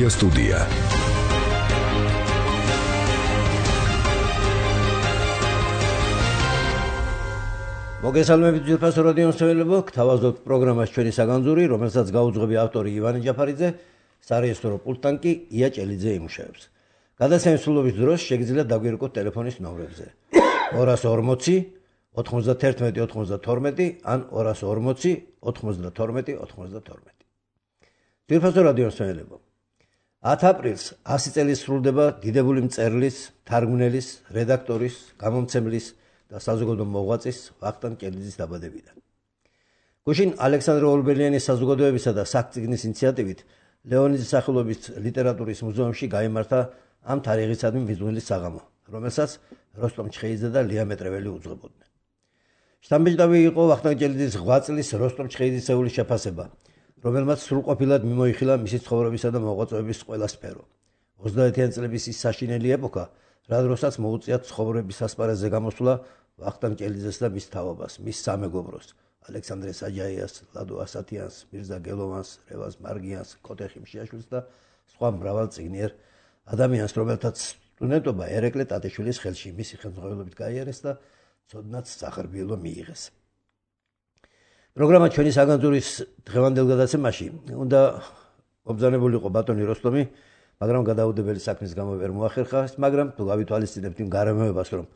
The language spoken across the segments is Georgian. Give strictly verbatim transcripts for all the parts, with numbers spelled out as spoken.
Media Studia. მოგესალმებით ძირფას რადიო მსმენელებო, გთავაზობთ პროგრამას ჩვენი საგანძური, რომელსაც გაუძღვები ავტორი ივანე ჯაფარიძე, სარეესტრო პულტთან კი ია ჭელიძე იმუშავებს. გადაცემის სრულობის დროს შეგიძლიათ დაგვირეკოთ ტელეფონის ნომრებზე ორასი ორმოცი ოთხმოცდათერთმეტი ოცდათორმეტი ან ორასი ორმოცი ოთხმოცდათორმეტი ოცდათორმეტი. ძირფას რადიო მსმენელებო, ათი აპრილს ასი წელი სრულდება დიდებული მწერლის, თარგმნელის, რედაქტორის, გამომცემლის და საზოგადო მოღვაწის ვახტანგ ჭელიძის დაბადებიდან. გუშინ ალექსანდრე ორბელიანის საზოგადოებისა და საქწიგნის ინიციატივით ლეონიძის სახელობის ლიტერატურის მუზეუმში გაიმართა ამ თარიღისადმი მიძღვნილის საღამო, რომელსაც როსტომ ჩხეიძე და ლია მეტრეველი უძღვებოდნენ. შთამბეჭდავი იყო ვახტანგ ჭელიძის ღვაწლის წლის როსტომ ჩხეიძისეული შეფასება, რომელმაც სრულყოფილად მიმოიხილა მისი ცხოვრებისა და მოღვაწეობის ყველა სფერო. ოცდაათიანი წლების ის საშინელი ეპოქა, რა დროსაც მოუწიათ ცხოვრების ასპარეზზე გამოსვლა ვახტანგ ჭელიძეს და მის თაობას, მის სამეგობროს, ალექსანდრე საჯაიას, ლადო ასათიანს, მირზა გელოვანს, რევაზ მარგიანს, კოტე ხიმშიაშვილს და სხვა მრავალწიგნიერ ადამიანს, რომელთაც სტუდენტობა ერეკლე ტატიშვილის ხელში მისი ხელმძღვანელობით გაიარეს და ცოდნაც სახარბიელო მიიღეს. პროგრამა ჩვენი საგანძურის დღევანდელ გადაცემაში უნდა მობრძანებულიყო ბატონი როსტომი, მაგრამ გადაუდებელი საქმის გამო ვერ მოახერხა, მაგრამ თუ გავითვალისწინებთ იმ გარემოებას, რომ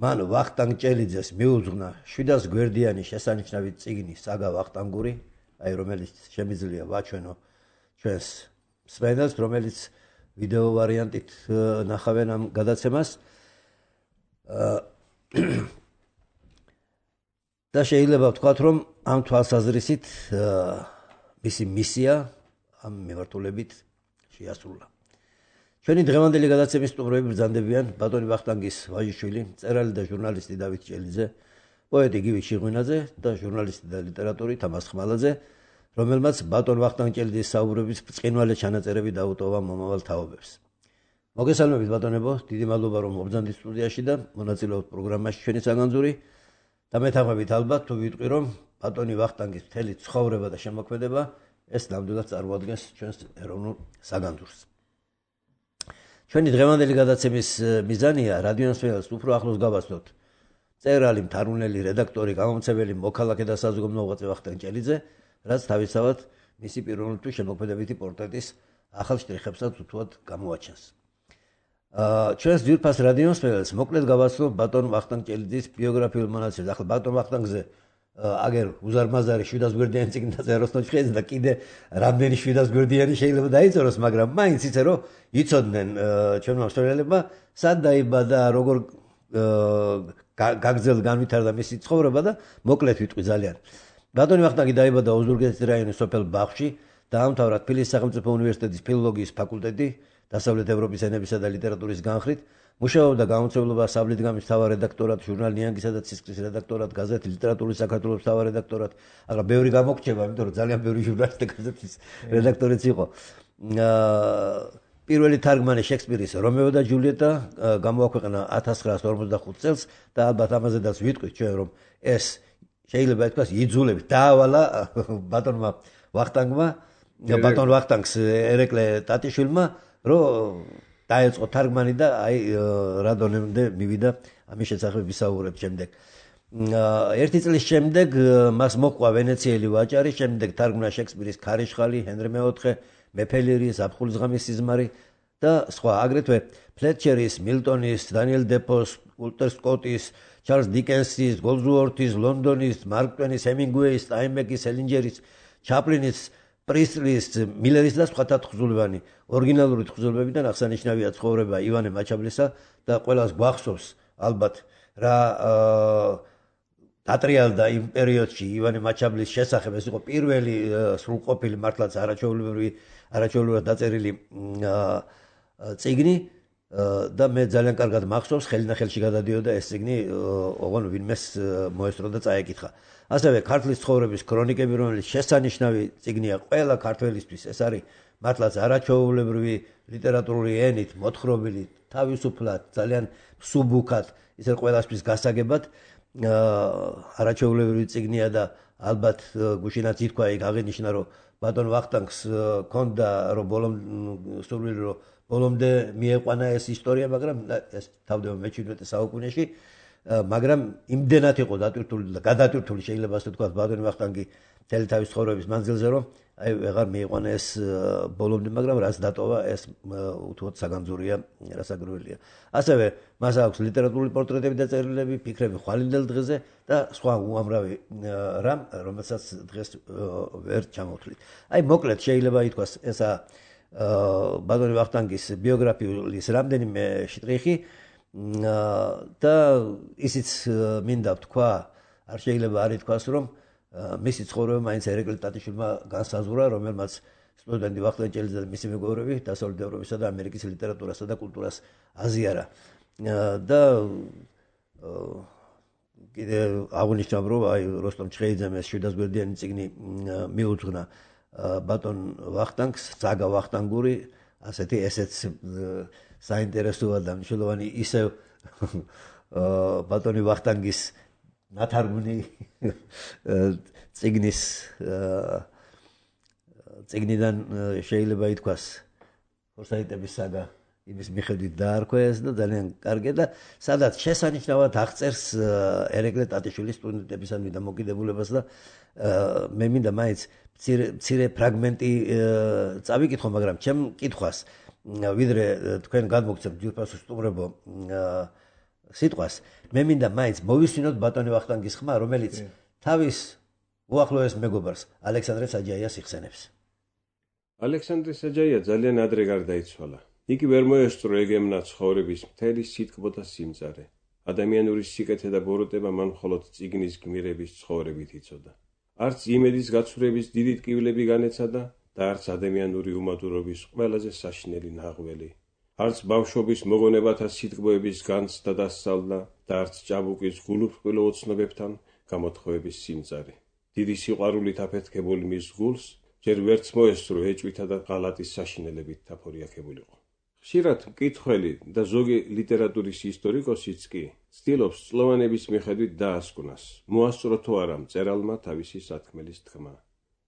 მან ვახტანგ ჭელიძეს მიუძღვნა შვიდას გვერდიანი შესანიშნავი წიგნი საგა ვახტანგური, აი რომელიც შემიძლია ვაჩვენო ჩვენს მსმენელს, რომელიც ვიდეო ვარიანტით ნახავენ ამ გადაცემას. და შეიძლება ვთქვათ, რომ ამ თვალსაზრისით მისი მისია ამ მიმართულებით შეასრულა. ჩვენი დღევანდელი გადაცემის სტუმრები ბრძანდებიან ბატონი ვახტანგის ვაჟიშვილი, მწერალი და ჟურნალისტი დავით ჭელიძე, პოეტი გივი შიღვინაძე და ჟურნალისტი და ლიტერატორი თამაზ ხმალაძე, რომელმაც ბატონ ვახტანგ ჭელიძის საუბრების ბრწყინვალე ჩანაწერები დაუტოვა მომავალ თაობებს. მოგესალმებით ბატონებო, დიდი მადლობა რომ მობრძანდით სტუდიაში და მონაწილეობთ პროგრამაში ჩვენი საგანძური. და მეთანხმებით ალბათ თუ ვიტყვი, რომ ბატონი ვახტანგის მთელი ცხოვრება და შემოქმედება ეს ნამდვილად წარმოადგენს ჩვენს ეროვნულ საგანძურს. ჩვენი დღევანდელი გადაცემის მიზანია რადიო მსმენელს უფრო ახლოს გავაცნოთ მწერალი, მთარგმნელი, რედაქტორი, გამომცემელი, მოქალაქე და საზოგადო მოღვაწე ვახტანგ ჭელიძე, რაც თავისთავად მისი პიროვნული თუ შემოქმედებითი პორტრეტის ახალ შტრიხებსაც უთუად გამოაჩენს. ჩვენს ძვირფას რადიო მსმენელს მოკლედ გავაცნო ბატონ ვახტანგ ჭელიძის ბიოგრაფიულ მონაცემს. ახლა ბატონ ვახტანგზე აგერ უზარმაზარი შვიდას გვერდიანი წიგნი დაწერა როსტომ ჩხეიძე და კიდე რამდენი შვიდას გვერდიანი შეიძლება დაიწეროს, მაგრამ მაინც იცი რომ იცოდნენ ჩვენმა მსმენელებმა სად დაიბადა, როგორ გაგრძელ განვითარდა მისი ცხოვრება და მოკლედ ვიტყვი ძალიან. ბატონი ვახტანგი დაიბადა ოზურგეთის რაიონის სოფელ ბაღში, დაამთავრა თბილისის სახელმწიფო უნივერსიტეტის ფილოლოგიის ფაკულტეტი დასავლეთ ევროპის ენებისა და ლიტერატურის განხრით, მუშაობდა გამომცემლობა საბლითგამის მთავარ რედაქტორად, ჟურნალ ნიანგისა და ცისკრის რედაქტორად, გაზეთი ლიტერატურის საქართველოს მთავარ რედაქტორად. ახლა ბევრი გამოგრჩება, იმიტომ რომ ძალიან ბევრი ჟურნალის და გაზეთის რედაქტორიც იყო. პირველი თარგმანი შექსპირის რომეო და ჯულიეტა გამოაქვეყნა ათას ცხრაასი ორმოცდახუთი წელს და ალბათ ამაზედაც ვიტყვით ჩვენ, რომ ეს შეიძლება ითქვას იძულებით დაავალა ბატონმა ვახტანგმა, ბატონ ვახტანგს ერეკლე ტატიშვილმა, რომ დაეწყო თარგმანი და აი რა დონემდე მივიდა ამის შესახებ ვისაუბრებთ შემდეგ. ერთი წლის შემდეგ მას მოჰყვა ვენეციელი ვაჭარი, შემდეგ თარგმნა შექსპირის ქარიშხალი, ჰენრი მეოთხე, მეფე ლირი, ზაფხულის ღამის სიზმარი და სხვა, აგრეთვე ფლეტჩერის, მილტონის, დანიელ დეფოს, ულტერ სკოტის, ჩარლზ დიკენსის, გოლდსვორთის, ლონდონის, მარკ ტვენის, ჰემინგუეის, სტაინბეკის, სელინჯერის, ჩაპლინის, პრისლის, მილერის და სხვათა თხზულებანი. ორიგინალური თხზულებებიდან აღსანიშნავია ცხოვრება ივანე მაჩაბლისა და ყველას გვახსოვს ალბათ რა დატრიალდა იმ პერიოდში ივანე მაჩაბლის შესახებ. ეს იყო პირველი სრულყოფილი მართლაც არაჩვეულებრივი არაჩვეულებრივად დაწერილი წიგნი და მე ძალიან კარგად მახსოვს, ხელნახელში გადადიოდა ეს წიგნი, ოღონდ ვინმეს მოესწრო და წაეკითხა. ასევე ქართლის ცხოვრების ქრონიკები, რომელიც შესანიშნავი წიგნია ყველა ქართველისთვის, ეს არის მართლაც არაჩვეულებრივი ლიტერატურული ენით მოთხრობილი, თავისუფლად, ძალიან მსუბუქად, ისე ყველასთვის გასაგებად არაჩვეულებრივი წიგნია და ალბათ გუშინაც ითქვა იქ აღინიშნა რომ ბატონ ვახტანგს ქონდა რომ ბოლომდე სურვილი რომ ბოლომდე მიეყვანა ეს ისტორია, მაგრამ ეს თავდება მეჩვიდმეტე საუკუნეში, მაგრამ იმდენად იყო დატვირთული და გადატვირთული შეიძლება ასე ვთქვათ ბატონ ვახტანგი მთელი თავის ცხოვრების მანძილზე, რომ აი ვეღარ მიეყვანა ეს ბოლომდე, მაგრამ რაც დატოვა ეს უთუოდ საგანძურია, რასაკვირველია. ასევე მას აქვს ლიტერატურული პორტრეტები და წერილები, ფიქრები ხვალინდელ დღეზე და სხვა უამრავი რამ, რომელსაც დღეს ვერ ჩამოვთვლით. აი მოკლედ შეიძლება ითქვას ესა ბატონ ვახტანგის ბიოგრაფიის რამდენიმე შტრიხი და ისიც მინდა ვთქვა, არ შეიძლება არ ითქვას, რომ მისი ცხოვრება მაინც ერეკლე ტატიშვილმა განსაზღვრა, რომელმაც სტუდენტი ვახტანგ ჭელიძე და მისი მეგობრები დასავლეთ ევროპისა და ამერიკის ლიტერატურასა და კულტურას აზიარა. და კიდე აღნიშნავ, რომ აი როსტომ ჩხეიძემ ეს შვიდასგვერდიანი წიგნი მიუძღვნა ბატონ ვახტანგს, ძაგა ვახტანგური, ასეთი ესეც საინტერესოა და მნიშვნელოვანი ისევ ბატონი ვახტანგის ნათარგმნი წიგნის წიგნიდან შეიძლება ითქვას ფორსაიტების საგა იმის მიხედვით დაარქვეს და ძალიან კარგი და სადაც შესანიშნავად აღწერს ერეკლე ტატიშვილის სტუდენტებისადმი დამოკიდებულებას და მე მინდა მაინც მცირე ფრაგმენტი წავიკითხო, მაგრამ ჩემ კითხვას ვიდრე თქვენ გადმოგცემთ ძვირფასო სტუმრებო სიტყვას, მე მინდა მაინც მოვისმინოთ ბატონი ვახტანგის ხმა, რომელიც თავის უახლოეს მეგობარს ალექსანდრე საჯაიას იხსენებს. ალექსანდრე საჯაია ძალიან ადრე გარდაიცვალა. იგი ვერ მოესწრო ეგემნა ცხოვრების მთელი სითბო და სიმწარე. ადამიანური სიკეთე და ბოროტება მან მხოლოდ წიგნის გმირების ცხოვრებით იცოდა. არც იმედის გაცურების დიდი ტკივილები განეცადა და არც ადამიანური უმადურობის ყველაზე საშინელი ნაღველი. არც ბავშვობის მოგონებათა სიტყვების განცდა და სწავლა და არც ჭაბუკის გულუბრყვილო ოცნობებთან გამოთხოვების სიმწარე. დიდი სიყვარულით აფეთქებული მის გულს ჯერ ვერც მოესწრო ეჭვითა და ღალატის საშინელებით თაფორიაქებულიყო. ხშირად მკითხველი და ზოგი ლიტერატურის ისტორიკოსიც კი ცდილობს წლოვანების მიხედვით დაასკვნას, მოასწრო თუ არა მწერალმა თავისი სათქმელის თქმა.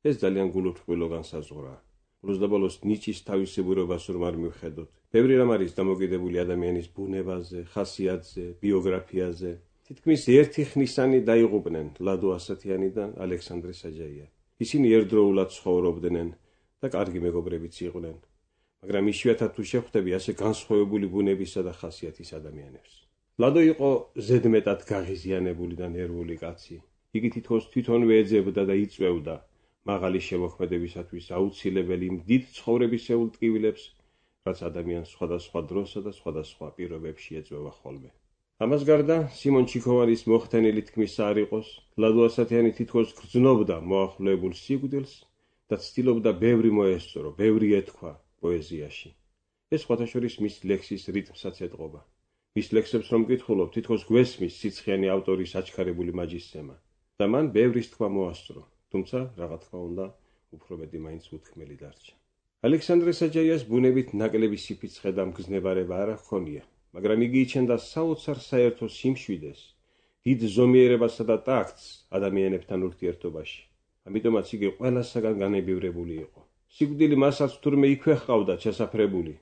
ეს ძალიან გულუბრყვილო განსაზღვრაა. ბოლოს ნიჭის თავისებურებას რომ არ მივხედოთ. ბევრი რამ არის დამოკიდებული ადამიანის ბუნებაზე, ხასიათზე, ბიოგრაფიაზე. თითქმის ერთი ხნისანი დაიღუპნენ ლადო ასათიანი და ალექსანდრე საჯაია. ისინი ერთდროულად ცხოვრობდნენ და კარგი მეგობრებიც იყვნენ. მაგრამ იშვიათად თუ შეხვდები ასე განსხვავებული ბუნებისა და ხასიათის ადამიანებს. ლადო იყო ზედმეტად გაღიზიანებული და ნერვული კაცი. იგი თითქოს თვითონვე ეძებდა და იწვევდა მაღალი შემოქმედებისათვის აუცილებელი იმ დიდ ცხოვრებისეულ ტკივილებს, რაც ადამიანს სხვადასხვა დროსა და სხვადასხვა პირობებში ეწვევა ხოლმე. ამას გარდა სიმონ ჩიქოვანის მოხდენილი თქმისა არ იყოს, ლადო ასათიანი თითქოს გრძნობდა მოახლოებულ სიკვდილს და ცდილობდა ბევრი მოესწრო, ბევრი ეთქვა პოეზიაში. ეს სხვათაშორის მის ლექსის რიტმსაც ეტყობა. მის ლექსებს რომ მკითხულობ, თითქოს გვესმის სიცხიანი ავტორის აჩქარებული მაჯისცემა და მან ბევრის თქვა მოასწრო, თუმცა რაღა თქმა უნდა, უფრო მეტი მაინც უთქმელი დარჩა. ალექსანდრე საჯაიას ბუნებით ნაკლები სიფიცხე და მგზნებარება არ ჰქონია, მაგრამ იგი იჩენდა საოცარ საერთო სიმშვიდეს, დიდ ზომიერებასა და ტაქტს ადამიანებთან ურთიერთობაში. ამიტომაც იგი ყველასაგან განებივრებული იყო. სიკვდილი მასაც თურმე იქვე ჰყავდა ჩასაფრებული,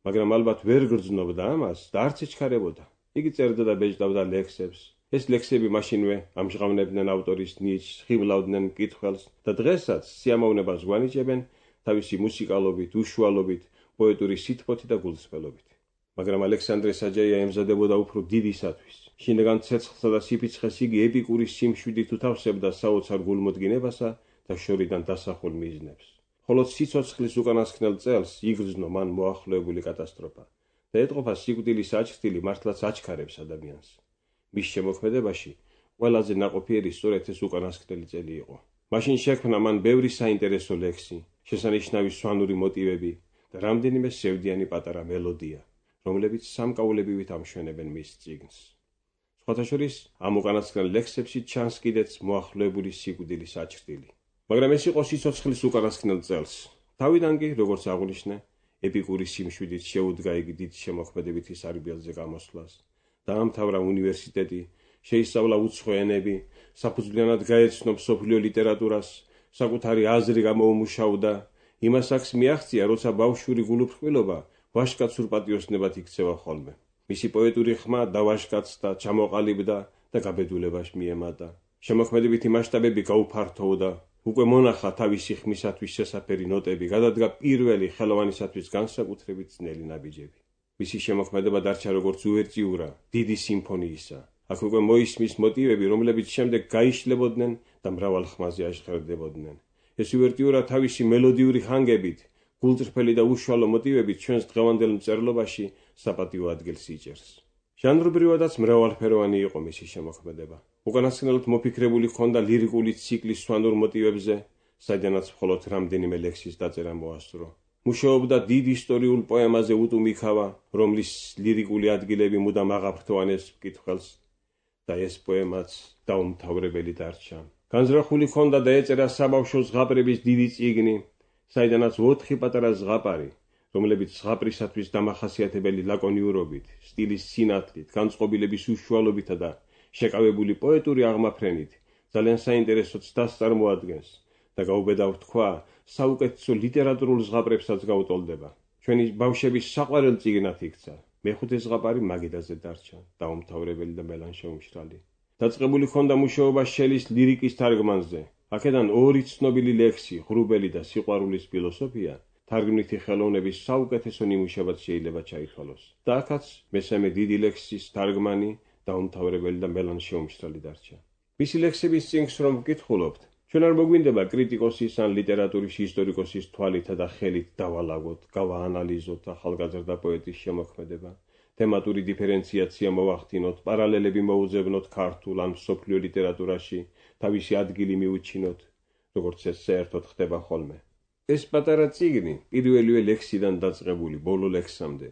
მაგრამ ალბათ ვერ გრძნობდა ამას და არც ეჩქარებოდა. იგი წერდა და ბეჭდავდა ლექსებს. ეს ლექსები მაშინვე ამჟღავნებდნენ ავტორის ნიჭს, ხიბლავდნენ მკითხველს და დღესაც სიამოვნებას გვანიჭებენ თავისი მუსიკალობით, უშუალობით, პოეტური სითბოთი და გულწრფელობით. მაგრამ ალექსანდრე საჯაია ემზადებოდა უფრო დიდისათვის. შინაგან ცეცხლსა და სიფიცხეს იგი ეპიკური სიმშვიდით უთავსებდა საოცარ გულმოდგინებასა და შორიდან დასახულ მიზნებს. ხოლო სიცოცხლის უკანასკნელ წელს იგრძნო მან მოახლოებული კატასტროფა და ეტყობა სიკვდილის აჩრდილი მართლაც აჩქარებს ადამიანს. მის შემოქმედებაში ყველაზე ნაყოფიერი სწორედ ეს უკანასკნელი წელი იყო. მაშინ შექმნა მან ბევრი საინტერესო ლექსი, შესანიშნავი სვანური მოტივები და რამდენიმე სევდიანი პატარა მელოდია, რომლებიც სამკაულებივით ამშვენებენ მის წიგნს. სხვათა შორის ამ უკანასკნელ ლექსებში ჩანს კიდეც მოახლოებული სიკვდილის აჩრდილი. მაგრამ ეს იყო სიცოცხლის უკანასკნელ წელს. თავიდან კი, როგორც აღვნიშნე, ეპიკური სიმშვიდით შეუდგა იგი დიდ შემოქმედებითი სარბიელზე გამოსვლას. დაამთავრა უნივერსიტეტი, შეისწავლა უცხო ენები, საფუძვლიანად გაეცნო მსოფლიო ლიტერატურას, საკუთარი აზრი გამოუმუშავდა, იმას აქს მიაღწია, როცა ბავშვური გულუფრყვილობა ვაჟკაცურ პატიოსნებად იქცევა ხოლმე. მისი პოეტური ხმა დავაშკაცდა, ჩამოყალიბდა და გაბედულებაში მიემატა. შემოქმედებითი მასშტაბები გაუფართოვდა, უკვე მონახა თავისი ხმისათვის შესაფერი ნოტები, გადადგა პირველი ხელოვანისათვის განსაკუთრებით ძნელი ნაბიჯები. მისი შემოქმედება დარჩა როგორც უვერტიურა დიდი სიმფონიისა. აქ უკვე მოისმის მოტივები, რომლებიც შემდეგ გაიშლებოდნენ და მრავალ ხმაზე აშხერდებოდნენ. ეს უვერტიურა თავისი მელოდიური ხანგებით, გულწრფელი და უშუალო მოტივებით ჩვენს დღევანდელ მწერლობაში საპატიო ადგილს იჭერს. ჟანრობრივადაც მრავალფეროვანი იყო მისი შემოქმედება. უკანასკნელად მოფიქრებული ჰქონდა ლირიკული ციკლის სვანურ მოტივებზე, საიდანაც მხოლოდ რამდენიმე ლექსის დაწერა მოასწრო. მუშაობდა დიდ ისტორიულ პოემაზე უტუმიქავა, რომლის ლირიკული ადგილები მუდამ აღაფრთოვანეს მკითხველს და ეს პოემაც დაუმთავრებელი დარჩა. განზრახული ჰქონდა და ეწერა საბავშვო ზღაპრების დიდი წიგნი, საიდანაც ოთხი პატარა ზღაპარი, რომლებიც ზღაპრისათვის დამახასიათებელი ლაკონიურობით, სტილის სინათლით, განწყობილების უშუალობითა და შეკავებული პოეტური აღმაფრენით ძალიან საინტერესო ცდას წარმოადგენს და გაუბედავ თქვა, საუკეთესო ლიტერატურულ ზღაპრებსაც გაუტოლდება. ჩვენი ბავშვების საყვარელ წიგნად იქცა. მეხუთე ზღაპარი მაგიდაზე დარჩა, დაუმთავრებელი და მელანშე უმშრალი. დაწყებული ჰქონდა მუშაობა შელის ლირიკის თარგმანზე. აქედან ორი ცნობილი ლექსი, ღრუბელი და სიყვარულის ფილოსოფია, თარგმნითი ხელოვნების საუკეთესო ნიმუშებად შეიძლება ჩაითვალოს. და აქაც მესამე დიდი ლექსის თარგმანი დაუმთავრებელი და მელანშე უმშრალი დარჩა. მისი ლექსების წიგნს რომ ვკითხულობთ, ჩვენ არ მოგვინდება კრიტიკოსის ან ლიტერატურის ისტორიკოსის თვალითა და ხელით დავალაგოთ, გავაანალიზოთ ახალგაზრდა პოეტის შემოქმედება, თემატური დიფერენციაცია მოვახდინოთ, პარალელები მოუძებნოთ ქართულ ან მსოფლიო ლიტერატურაში, თავისი ადგილი მიუჩინოთ, როგორც ეს საერთოდ ხდება ხოლმე. ეს პატარა წიგნი, პირველივე ლექსიდან დაწყებული ბოლო ლექსამდე,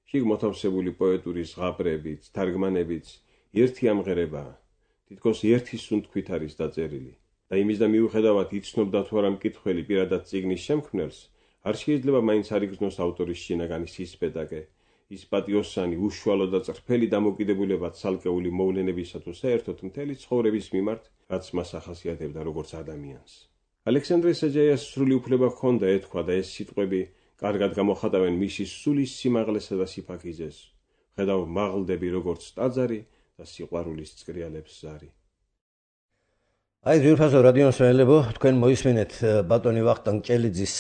შიგ მოთავსებული პოეტური ზღაპრებით, თარგმანებით, ერთი ამღერებაა. თითქოს ერთი სუნთქვით არის დაწერილი. და იმის და მიუხედავად იცნობდა თუ არა მკითხველი პირადად წიგნის შემქმნელს, არ შეიძლება მაინც არ იგრძნოს ავტორის შინაგანი სისპეტაკე, ის პატიოსანი, უშუალო და წრფელი დამოკიდებულება ცალკეული მოვლენებისა თუ საერთოდ მთელი ცხოვრების მიმართ, რაც მას ახასიათებდა როგორც ადამიანს. ალექსანდრე საჯაიას სრული უფლება ჰქონდა ეთქვა და ეს სიტყვები კარგად გამოხატავენ მისი სულის სიმაღლესა და სიფაქიზეს. ხედავ მაღლდები როგორც ტაძარი და სიყვარულის წკრიალებს ზარი. აი ძვირფასო რადიო მსმენელებო, თქვენ მოისმენთ ბატონი ვახტანგ ჭელიძის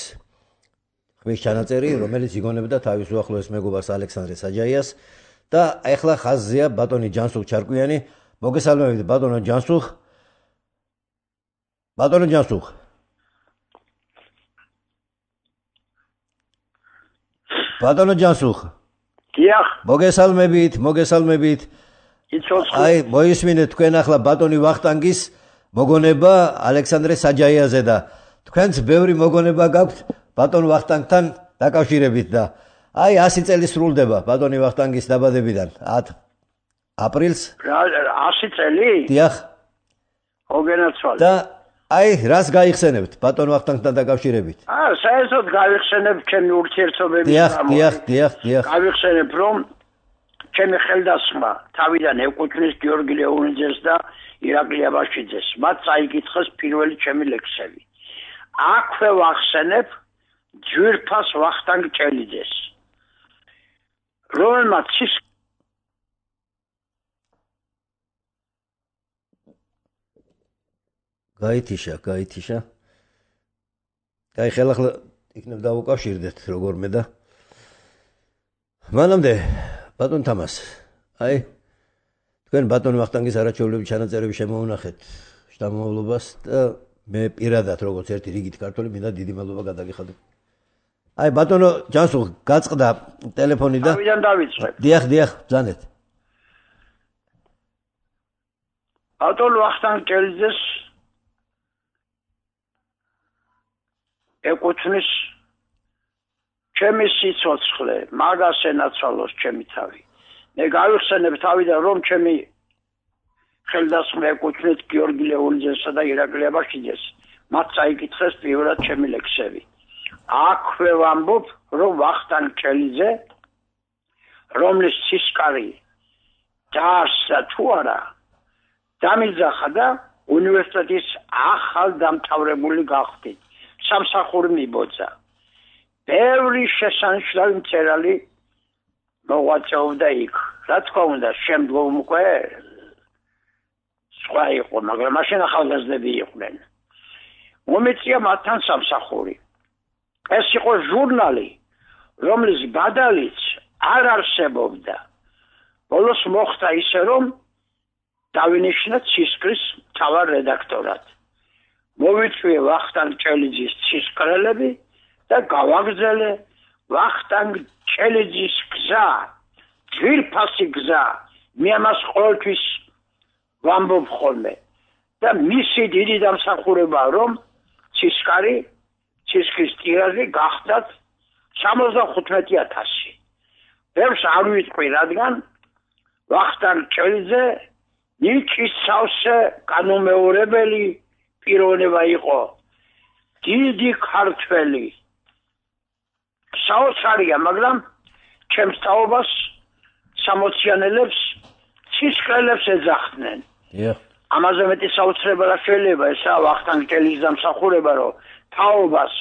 ხმის ჩანაწერი, რომელიც იგონებდა თავის უახლოეს მეგობარს ალექსანდრე საჯაიას და ახლა ხაზზეა ბატონი ჯანსუღ ჩარკვიანი. მოგესალმებით ბატონო ჯანსუღ. ბატონო ჯანსუღ. ბატონო ჯანსუღ. დიახ. მოგესალმებით, მოგესალმებით. იცოცხლე. აი მოისმენთ თქვენ ახლა ბატონი ვახტანგის მოგონება ალექსანდრე საჯაიაზე და თქვენც ბევრი მოგონება გაქვთ ბატონ ვახტანგთან დაკავშირებით და აი ასი წელი სრულდება ბატონი ვახტანგის დაბადებიდან ათ აპრილს. ასი წელი? დიახ. მოგენაცვალე. და აი რას გაიხსენებთ ბატონ ვახტანგთან დაკავშირებით? აა საერთოდ გავიხსენებ ჩემი ურთიერთობების დიახ, დიახ, დიახ, დიახ. გავიხსენებ რომ ჩემი ხელდასხმა თავიდან ეკუთვნის გიორგი ლეონიძეს და ირაკლი აბაშიძეს. მათ წაიკითხეს პირველი ჩემი ლექსები. აქვე ვახსენებ ძვირფას ვახტანგ ჭელიძეს, რომელმაც ის გაითიშა, გაითიშა. აი ხელა იქნებ დავუკავშირდეთ როგორმე და მანამდე ბატონ თამას, აი თქვენ ბატონ ვახტანგის არაჩვეულებრივი ჩანაწერები შემოუნახეთ შთამომავლობას და მე პირადად როგორც ერთი რიგით ქართველი მინდა დიდი მადლობა გადაგიხადო. აი ბატონო ჯანსუღ გაწყდა ტელეფონი და თავიდან დავიწყებ. დიახ, დიახ, ბრძანეთ. ბატონ ვახტანგ ჭელიძეს ეკუთვნის ჩემი სიცოცხლე, მაგას ენაცვალოს ჩემი თავი. მე გავიხსენებ თავიდან რომ ჩემი ხელდასხმა ეკუთვნით გიორგი ლეონიძესა და ირაკლი აბაშიძეს. მათ წაიკითხეს პირველად ჩემი ლექსები. აქვე ვამბობ რომ ვახტანგ ჭელიძე, რომლის სისკარი დაარსდა თუ არა, დამიძახა და უნივერსიტეტის ახალ დამთავრებული გახდით. სამსახური მიბოძა. ბევრი შესანიშნავი მწერალი მოღვაწეობდა იქ. რა თქმა უნდა, შემდგომ უკვე სხვა იყო, მაგრამ მაშინ ახალგაზრდები იყვნენ. მომეწია მათთან სამსახური. ეს იყო ჟურნალი, რომლის ბადალიც არ არსებობდა. ბოლოს მოხდა ისე, რომ დავინიშნა ცისკრის მთავარ რედაქტორად. მოვიწვიე ვახტანგ ჭელიძის ცისკრელები და გავაგრძელე ვახტანგ ჭელიძის გზა, ძვირფასი გზა. მე ამას ყოველთვის ვამბობ ხოლმე. და მისი დიდი დამსახურებაა, რომ ცისკარი, ცისკრის ტირაჟი გახდათ სამოცდახუთმეტი ათასი. ბევრს არ ვიტყვი, რადგან ვახტანგ ჭელიძე ნიჭის სავსე განუმეორებელი პიროვნება იყო. დიდი ქართველი. საოცარია, მაგრამ ჩემს თაობას სამოციანელებს ცისკრელებს ეძახდნენ. ამაზე მეტი საოცრება რა შეიძლება, ესაა ვახტანგ ჭელიძის დამსახურება, რომ თაობას,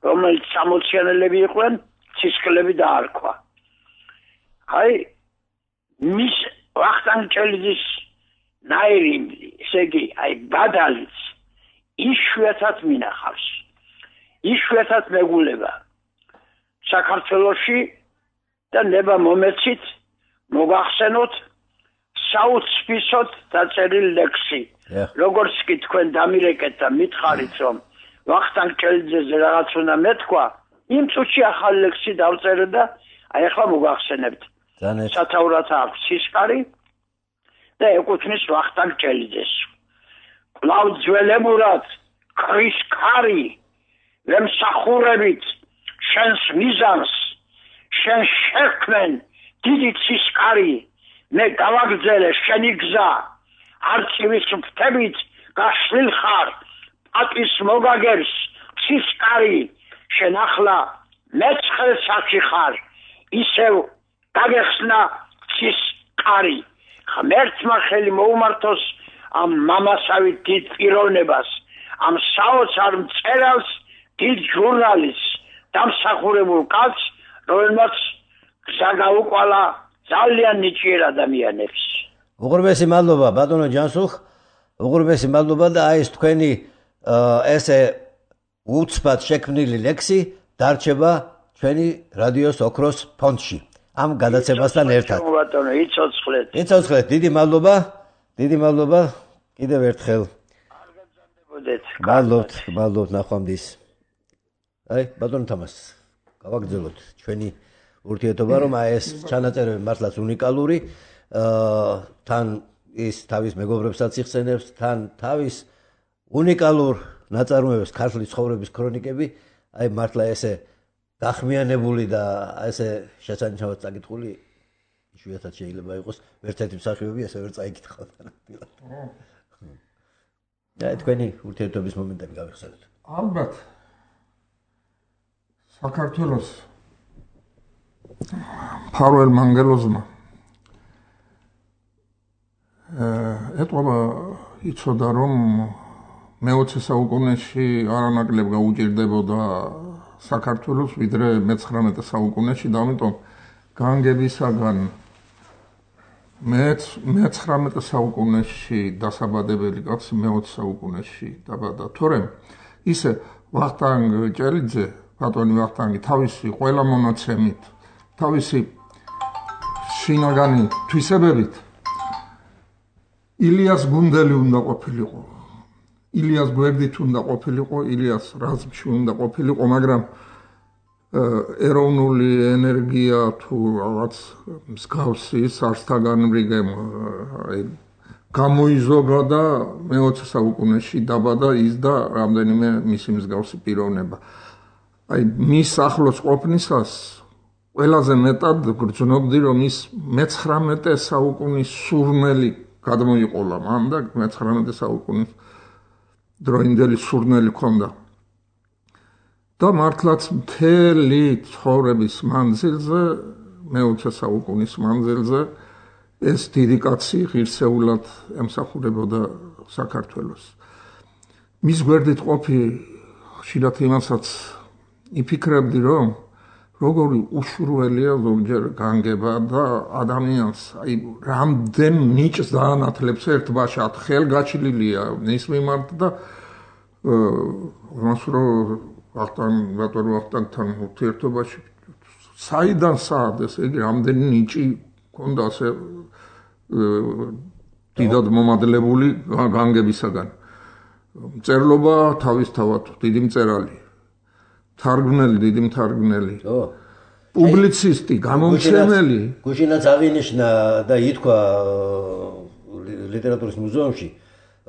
რომელიც სამოციანელები იყვნენ, ცისკრელები დაარქვა. აი, მის ვახტანგ ჭელიძის ნაირი, ესე იგი, აი, ბადალიც იშვიათად მინახავს. იშვიათად მეგულება. საქართველოში და ნება მომეცით მოგახსენოთ საუცბისოდ დაწერილი ლექსი. როგორც კი თქვენ დამირეკეთ და მითხარით, რომ ვახტანგ ჭელიძეზე რაღაც უნდა მეთქვა, იმ წუთში ახალი ლექსი დავწერე და აი ახლა მოგახსენებთ. სათაურად აქვს ცისკარი და ეკუთვნის ვახტანგ ჭელიძეს. კვლავ ძველებურად ქრის ქარი ვემსახურებით შენს მიზანს, შენ შექმენ დიდი ცისკარი, მე გავაგრძელე შენი გზა, არწივის ფრთებით გაშლილ ხარ პატის მოგაგერს ცისკარი, შენ ახლა მეცხრე საათი ხარ, ისევ გაგეხსნა ცისკარი. ღმერთმა ხელი მოუმართოს ამ მამასავით დიდ პიროვნებას, ამ საოცარ მწერალს, დიდ ჟურნალისტს, დამსახურებულ კაცს, რომელმაც გზა გაუკვალა ძალიან ნიჭიერ ადამიანებს. უღრმესი მადლობა ბატონო ჯანსუხ, უღრმესი მადლობა და აი ეს თქვენი ესე უცბად შექმნილი ლექსი დარჩება ჩვენი რადიოს ოქროს ფონდში. ამ გადაცემასთან ერთად. ბატონო, იცოცხლეთ. იცოცხლეთ, დიდი მადლობა, დიდი მადლობა კიდევ ერთხელ. არ გაგზავნებოდეთ. მადლობთ, მადლობთ ნახვამდის. აი, ბატონო თამას, გავაგრძელოთ ჩვენი ურთიერთობა, რომ აი ეს ჩანაწერები მართლაც უნიკალური, თან ის თავის მეგობრებსაც იხსენებს, თან თავის უნიკალურ ნაწარმოებებს, ქართლის ცხოვრების ქრონიკები, აი მართლა ესე გახმიანებული და ესე შესანიშნავად წაკითხული იშვიათად შეიძლება იყოს, ერთ-ერთი მსახიობი ესე ვერ წაიკითხავთ. და თქვენი ურთიერთობის მომენტები გავიხსენოთ. ალბათ საქართველოს ფარველ მანგელოზმა ეტყობა იცოდა, რომ მეოცე საუკუნეში არანაკლებ გაუჭირდებოდა საქართველოს ვიდრე მეცხრამეტე საუკუნეში და ამიტომ განგებისაგან მეცხრამეტე საუკუნეში დასაბადებელი კაცი მეოცე საუკუნეში დაბადა. თორემ ისე ვახტანგ ჭელიძე, ბატონი ვახტანგი თავისი ყველა მონაცემით, თავისი შინაგანი თვისებებით ილიას გუნდელი უნდა ყოფილიყო. ილიას გვერდით უნდა ყოფილიყო, ილიას რაზმში უნდა ყოფილიყო, მაგრამ ეროვნული ენერგია თუ რაღაც მსგავსი სარსთაგანრიგე გამოიზოგა და მეოცე საუკუნეში დაბადა ის და რამდენიმე მისი მსგავსი პიროვნება. აი მის ახლოს ყოფნისას ყველაზე მეტად გრძნობდი, რომ ის მეცხრამეტე საუკუნის სურნელი გადმოიყოლა მან და მეცხრამეტე საუკუნის დროინდელი სურნელი ჰქონდა. და მართლაც მთელი ცხოვრების მანძილზე, მეოცე საუკუნის მანძილზე ეს დიდი კაცი ღირსეულად ემსახურებოდა საქართველოს. მის გვერდით ყოფი ხშირად იმასაც იფიქრებდი, რომ როგორი უშურველია ზოგჯერ განგება და ადამიანს აი რამდენ ნიჭს დაანათლებს ერთ ბაშად, ხელგაჩლილია მის მიმართ და მას რო ვახტანგ ბატონო ვახტანგთან ურთიერთობაში საიდან საერთოდ ესე იგი რამდენი ნიჭი ქონდა ასე დიდად მომადლებული განგებისაგან. მწერლობა თავისთავად დიდი მწერალი, თარგმნელი, დიდი მთარგმნელი, პუბლიცისტი, გამომცემელი. გუშინაც აღინიშნა და ითქვა ლიტერატურის მუზეუმში,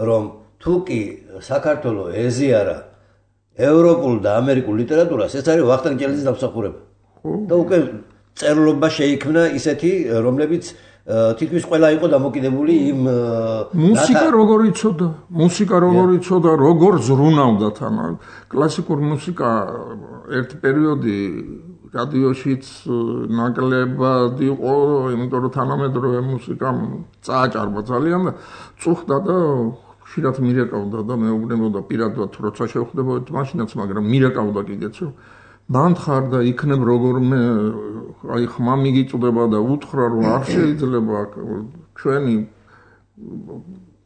რომ თუ კი საქართველოს ეზიარა ევროპულ და ამერიკულ ლიტერატურას, ეს არის ვახტანგ ჭელიძის დამსახურება. და უკვე წერლობა შეიქმნა ისეთი, რომლებიც თითქმის ყველა იყო დამოკიდებული იმ მუსიკა როგორ იცოდა, მუსიკა როგორ იცოდა, როგორ ზრუნავდა თან. კლასიკური მუსიკა ერთ პერიოდი რადიოშიც ნაკლებად იყო, იმიტომ რომ თანამედროვე მუსიკამ წააჭარბა ძალიან და წუხდა და ხშირად მირეკავდა და მეუბნებოდა პირადად როცა შევხვდებოდით მაშინაც, მაგრამ მირეკავდა კიდეც რომ მანთხარ და იქნებ როგორმე აი ხმა მიგიწდება და უთხრა რომ არ შეიძლება ჩვენი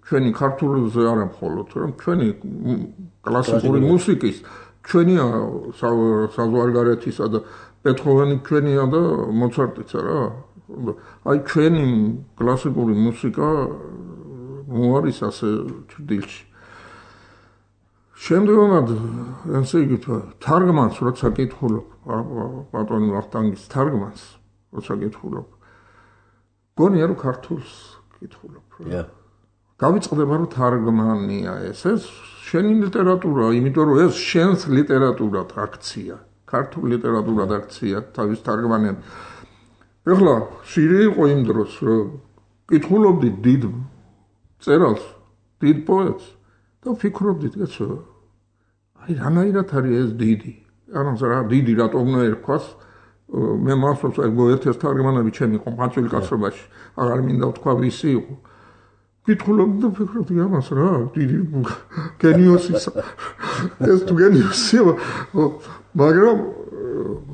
ჩვენი ქართულზე არა მხოლოდ რომ ჩვენი კლასიკური მუსიკის ჩვენია საზღვარგარეთისა და ბეთჰოვენი ჩვენია და მოცარტიც არა აი ჩვენი კლასიკური მუსიკა მოარის ასე ჭრილში შემდგომად ესე იგი თარგმანს როცა კითხულობ ბატონი ვახტანგის თარგმანს როცა კითხულობ გონია რომ ქართულს კითხულობ გავიწყდება რომ თარგმანია ეს ეს შენი ლიტერატურა იმიტომ რომ ეს შენს ლიტერატურად აქცია ქართულ ლიტერატურად აქცია თავის თარგმანებს ეხლა შირი იყო იმ დროს რომ კითხულობდი დიდ წერალს დიდ პოეტს და ფიქრობდით კაცო აი რანაირად არის ეს დიდი ანუ რა დიდი რატომ უნდა ერქვას მე მახსოვს აი მოერთეს თარგმანები ჩემი ყმაწვილი კაცობაში აღარ მინდა ვთქვა ვისი იყო კითხულობდი და ფიქრობდი ამას რა დიდი გენიოსი ეს თუ გენიოსია მაგრამ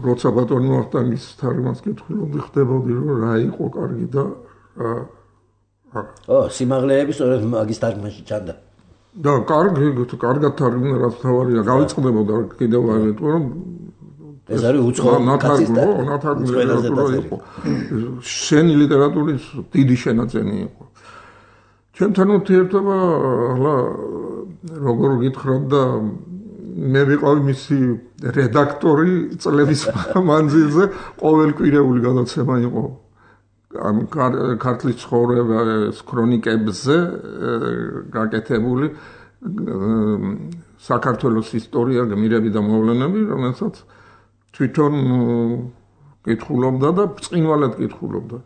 როცა ბატონი ვახტანგის თარგმანს კითხულობდი ხდებოდი რომ რა იყო კარგი და ო სიმაღლეები სწორედ მაგის თარგმანში ჩანდა და კარგი კარგად თარგმნა რაც თავარია გავიწყდებოდა კიდევ ამიტომ რომ ეს არის უცხო ნათარგმნო ნათარგმნო იყო შენი ლიტერატურის დიდი შენაძენი იყო ჩემთან ურთიერთობა ახლა როგორ გითხრათ და მე ვიყავი მისი რედაქტორი წლების მანძილზე ყოველკვირეული გადაცემა იყო ამ ქართლის ცხოვრების ქრონიკებზე გაკეთებული საქართველოს ისტორია გმირები და მოვლენები რომელსაც თვითონ კითხულობდა და ბრწყინვალედ კითხულობდა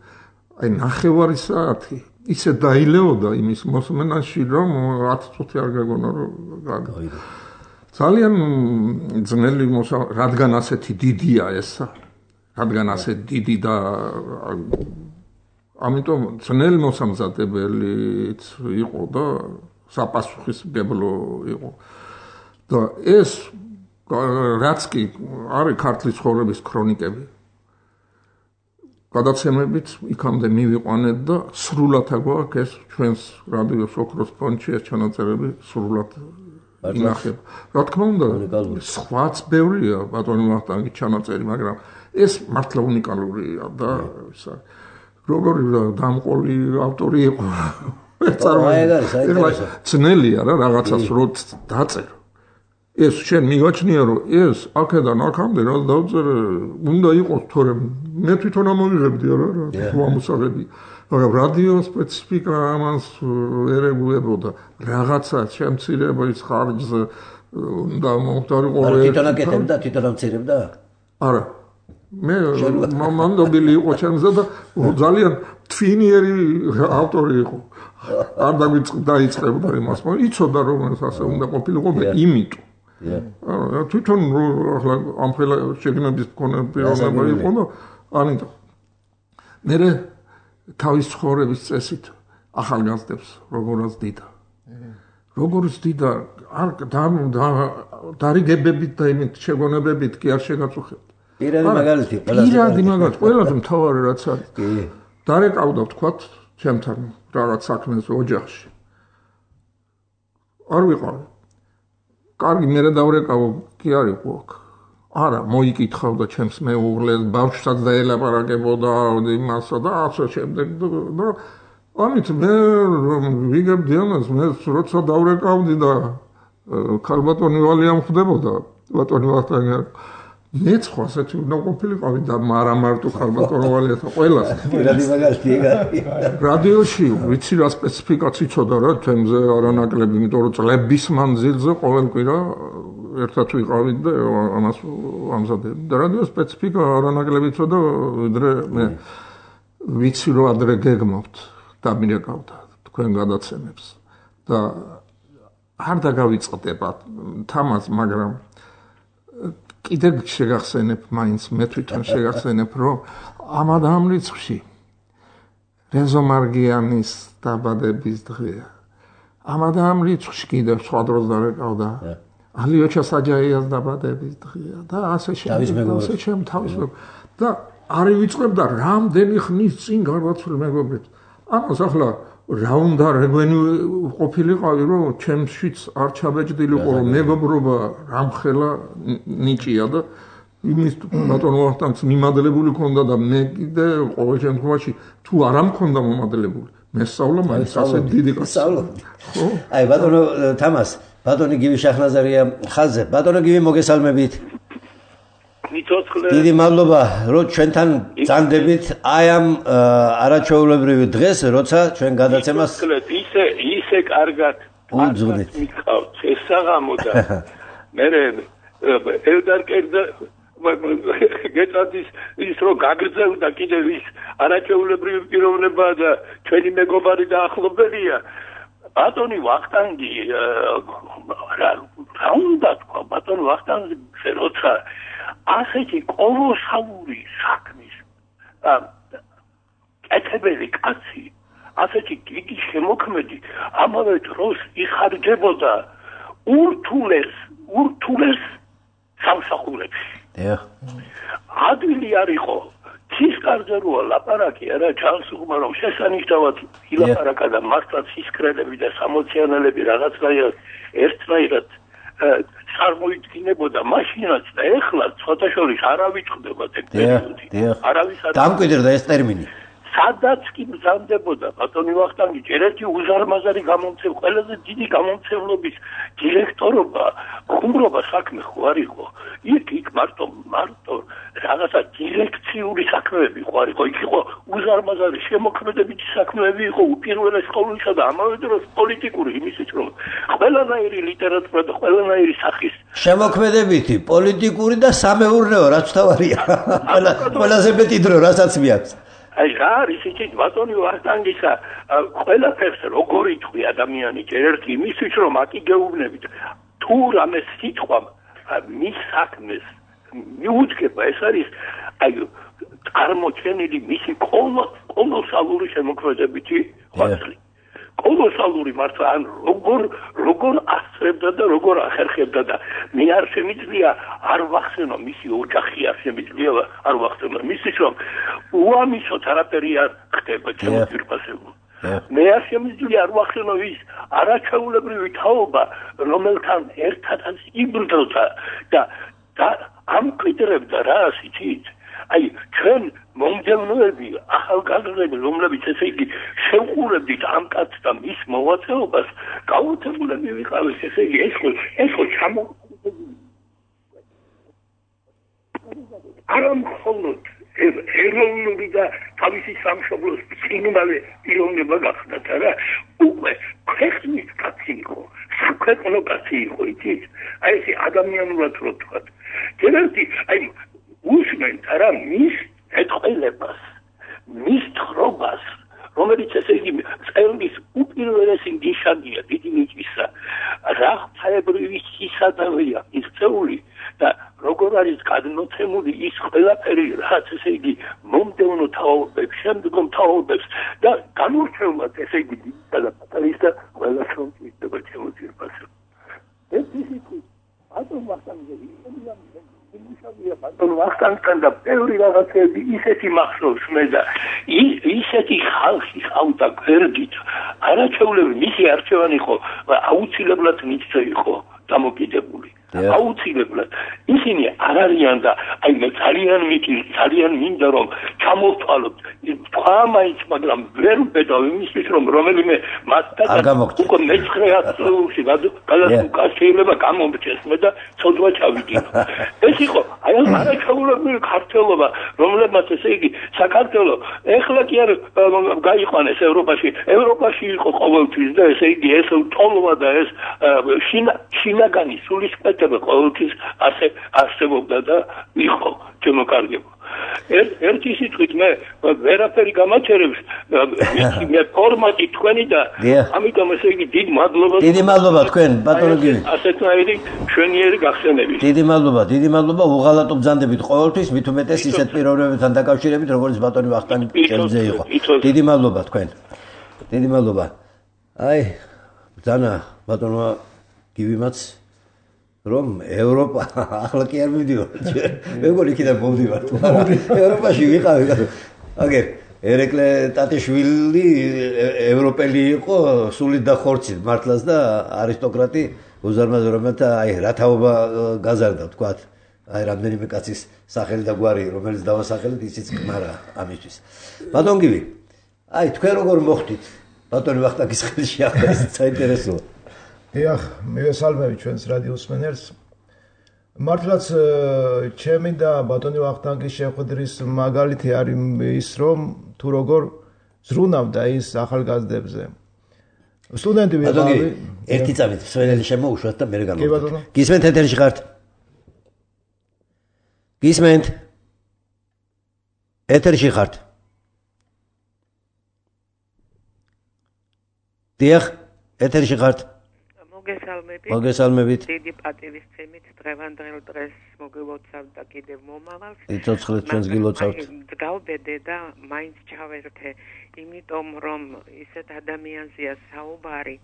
აი ნახევარი საათი ისე დაილეოდა იმის მოსმენაში რომ ათ წუთი არ გაგონა რომ გაგა ძალიან ძნელი რადგან ასეთი დიდია ესა რადგან ასეთი დიდი და ამიტომ ძნელი მოსამზადებელიც იყო და საპასუხისმგებლო იყო და ეს რაც კი არის ქართლის ცხოვრების ქრონიკები გადაცემებით იქამდე მივიყვანეთ და სრულად აგვაქვს ეს ჩვენს რადიოს ოქროს ფონდში ეს ჩანაწერები სრულად ინახება რა თქმა უნდა სხვაც ბევრია ბატონი ვახტანგის ჩანაწერი მაგრამ ეს მართლა უნიკალურია და ისა როგორი დამყოლი ავტორი იყო წარმოიდგინე ძნელია რა რაღაცას რო დაწერო ეს შენ მიგაჩნია რომ ეს აქედან აქამდე რა დავწერე უნდა იყოს თორემ მე თვითონ ამოვიღებდი რა რა ამოსაღები მაგრამ რადიო სპეციფიკა ამას ვერ ეგუებოდა რაღაცა შემცირების ხარჯზე და მომხდარიყო თვითონ აკეთებდა თვითონ ამცირებდა არა მე მანდობილი იყო ჩემზე და ძალიან თვინიერი ავტორი იყო არ დაიწყებდა იმას მაგრამ იცოდა რომ ეს ასე უნდა ყოფილიყო იმიტომ აა თვითონ ახლა ამ ხელა შეგნების მქონე პიროვნება იყო და ანიტო მე თავის ცხოვრების წესით ახალგაზრდებს როგორაც დიდა. როგორც დიდა არ დარიგებებით და იმით შეგონებებით კი არ შეგაწუხებთ. პირადი მაგალითი ყველაზე პირადი მაგალითი ყველაზე მთავარი რაც არის. კი. დარეკავდა ვთქვათ ჩემთან რაღაც საქმეზე ოჯახში. არ ვიყავი. კარგი მე რა დავრეკავო კი არ იყო აქ. არა, მოიკითხავდა ჩემს მეუღლეს, ბავშვსაც დაელაპარაკებოდა იმასა და ასე შემდეგ და ამით მე ვიგებდი ამას, მე როცა დავრეკავდი და ქალბატონი ვალია მხვდებოდა, ბატონი ვახტანგი მეც ხო ასეთი უნდა ყოფილიყავი და არა მარტო ქალბატონი ვალიათა ყველას. პირადი მაგალითი ეგ არის. რადიოში ვიცი რა სპეციფიკაცი ცოდა რა თემზე არანაკლები, იმიტომ რომ წლების მანძილზე ყოველ კვირა ერთად ვიყავით და ამას ამზადებდი. და რადიო სპეციფიკა არანაკლები ცოდა, ვიდრე მე ვიცი რომ ადრე გეგმობთ და მირეკავდა თქვენ გადაცემებს და არ დაგავიწყდება თამას, მაგრამ კიდე შეგახსენებ მაინც მე თვითონ შეგახსენებ რომ ამ ამ რიცხვში რეზო მარგიანის დაბადების დღეა. ამ ამ რიცხვში კიდე სხვა დროს დარეკავდა ალიოჩა საჯაიას დაბადების დღეა და ასე შემდეგ ასე შემ თავის და არ ვიწყებდა რამდენი ხნის წინ გარდაცვლილ მეგობრებს. ამას ახლა რა უნდა რეგვენი ყოფილიყავი რომ ჩემშიც არ ჩაბეჭდილიყო რომ მეგობრობა რამხელა ნიჭია და იმის ბატონო ვახტანგს მიმადლებული ქონდა და მე კიდე ყოველ შემთხვევაში თუ არ ამქონდა მომადლებული მე სწავლა მაინც ასე დიდი სწავლობდი. ხო? აი ბატონო თამას, ბატონი გივი შაჰნაზარია ხაზზე. ბატონო გივი მოგესალმებით. დიდი მადლობა რომ ჩვენთან წანდებით აი ამ არაჩვეულებრივი დღეს, როცა ჩვენ გადაცემას ისე ისე კარგად მიყავთ ეს საღამო და მე ელდარ კერდა გეტადის ის რომ გაგრძელდა კიდევ ის არაჩვეულებრივი პიროვნება და ჩვენი მეგობარი და ახლობელია ბატონი ვახტანგი რა უნდა თქვა ბატონი ვახტანგი როცა ასეთი კოლოსალური საქმის კეთებელი კაცი, ასეთი დიდი შემოქმედი ამავე დროს იხარჯებოდა ურთულეს, ურთულეს სამსახურებში. ადვილი არ იყო, ცისკარზე როა ლაპარაკი არა ჩანს უხმა რომ შესანიშნავად ილაპარაკა და მართლაც სისკრელები და სამოციანელები რაღაცნაირად ერთნაირად წარმოიდგინებოდა მაშინაც და ეხლა ცოტა შორის არავის ხდება ეს პერიოდი. არავის არ დამკვიდრდა ეს ტერმინი. სადაც კი მზამდებოდა ბატონი ვახტანგი ჯერეთი უზარმაზარი გამომცემ ყველაზე დიდი გამომცემლობის დირექტორობა, ხუმრობა საქმე ხო არ იყო. იქ იქ მარტო მარტო რაღაცა დირექციული საქმეები ხო არ იყო. იქ იყო უზარმაზარი შემოქმედებითი საქმეები იყო უპირველეს ყოვლისა და ამავე დროს პოლიტიკური იმისით რომ ყველანაირი ლიტერატურა და ყველანაირი სახის შემოქმედებითი, პოლიტიკური და სამეურნეო რაც თავარია. ყველაზე მეტი დრო რასაც მიაქვს. აი რა არის ისიც ბატონი ვახტანგისა ყველაფერს როგორ იტყვი ადამიანი ერთ იმისთვის რომ აკიგეუბნებით თუ რამე სიტყვა მის საქმეს მიუძგება ეს არის აი წარმოჩენილი მისი კოლოსალური შემოქმედებითი ხვაწლი კოლოსალური მართლა ან როგორ როგორ ასწრებდა და როგორ ახერხებდა და მე არ შემიძლია არ ვახსენო მისი ოჯახი არ შემიძლია არ ვახსენო მისის რომ უამისოდ არაფერი არ ხდება ჩემს პირფასებულ მე არ შემიძლია არ ვახსენო ის არაჩვეულებრივი თაობა რომელთან ერთადაც იბრძოდა და ამკვიდრებდა რა იცით აი ჩვენ მომდევნოები ახალგაზრდები რომლებიც ესე იგი შევყურებდით ამ კაცს და მის მოვაწეობას გაუთავებულები ვიყავით ესე იგი ეს ხო ეს ხო ჩამო არამ ხოლოდ ეროვნული და თავისი სამშობლოს წინვალე პიროვნება გახდათ არა უკვე ქვეყნის კაცი იყო საქვეყნო კაცი იყო იცით აი ეს ადამიანურად რო თქვათ ჯერერთი აი უსმენთ არა მის ეთყელებას მის თხრობას რომელიც ესე იგი წელს უპირველესი ნიშანია დიდი ნიჭისა რა ფაებრივი სისადავეა ის წეული და როგორ არის გადმოცემული ის ყველაფერი რაც ესე იგი მომდევნო თაობებს შემდგომ თაობებს და განურჩევლად ესე იგი და პატარისა ყველა შემწირდება ჩემო ძირფასო ეს ისეთი ატომ ვახტანგზე იმუშავია ბატონ ვახტანგთან და ბევრი რაღაცები ისეთი მახსოვს მე და ისეთი ხალხი ხავდა გვერდით არაჩვეულები მისი არჩევანი ხო აუცილებლად მიწე იყო დამოკიდებული აუცილებლად ისინი არ არიან და აი მე ძალიან მიკი ძალიან მინდა რომ ჩამოვთვალოთ თქვა მაინც მაგრამ ვერ ვბედავ იმისთვის რომ რომელიმე მასთან უკვე მეცხრე ათწლეულში გადასულ შეიძლება გამომრჩეს მე და ცოდვა ჩავიდინო ეს იყო აი ამ არაჩვეულებრივი ქართველობა რომლებმაც ესე იგი საქართველო ეხლა კი არ გაიყვანეს ევროპაში ევროპაში იყო ყოველთვის და ესე იგი ეს ტოლვა და ეს შინაგანი სულისკვეთ ყოველთვის ასე არსებობდა და იყო ჩემო კარგებო ერთი სიტყვით მე ვერაფერი გამაჩერებს მე ფორმატი თქვენი და ამიტომ ესე იგი დიდ მადლობა დიდი მადლობა თქვენ ბატონო გივი ასეთნაირი შვენიერი გახსენებით დიდი მადლობა დიდი მადლობა უღალატო ბრძანდებით ყოველთვის მით უმეტეს ისეთ პიროვნებებთან დაკავშირებით როგორც ბატონი ვახტანგი ჭელიძე იყო დიდი მადლობა თქვენ დიდი მადლობა აი ბრძანა ბატონო გივიმაც რომ ევროპა ახლა კი არ მივდივარ მეგონი იქიდან მომდივარ მაგრამ ევროპაში ვიყავი აგერ ერეკლე ტატიშვილი ევროპელი იყო სულით და ხორცით მართლაც და არისტოკრატი უზარმაზო რომელთა აი რათაობა გაზარდა თქვათ აი რამდენიმე კაცის სახელი და გვარი რომელიც დავასახელეთ ისიც კმარა ამისთვის ბატონ გივი აი თქვენ როგორ მოხდით ბატონი ვახტანგის ხელში ახლა ეს საინტერესოა ეხ მივესალმები ჩვენს რადიოს მსმენელს მართლაც ჩემი და ბატონი ვახტანგის შეხვედრის მაგალითი არის ის რომ თუ როგორ ზრუნავდა ის ახალგაზრდებზე სტუდენტი ვიყავი ერთი წამით მსმენელი შემოუშვათ და მე გამოვიდა გისმენთ ეთერში ხართ გისმენთ ეთერში ხართ დიახ ეთერში ხართ მოგესალმებით. მოგესალმებით. დიდი პატივისცემით დღევანდელ დღეს მოგილოცავ და კიდევ მომავალს. იცოცხლეთ ჩვენს გილოცავთ. გავბედე და მაინც ჩავერთე, იმიტომ რომ ისეთ ადამიანზეა საუბარი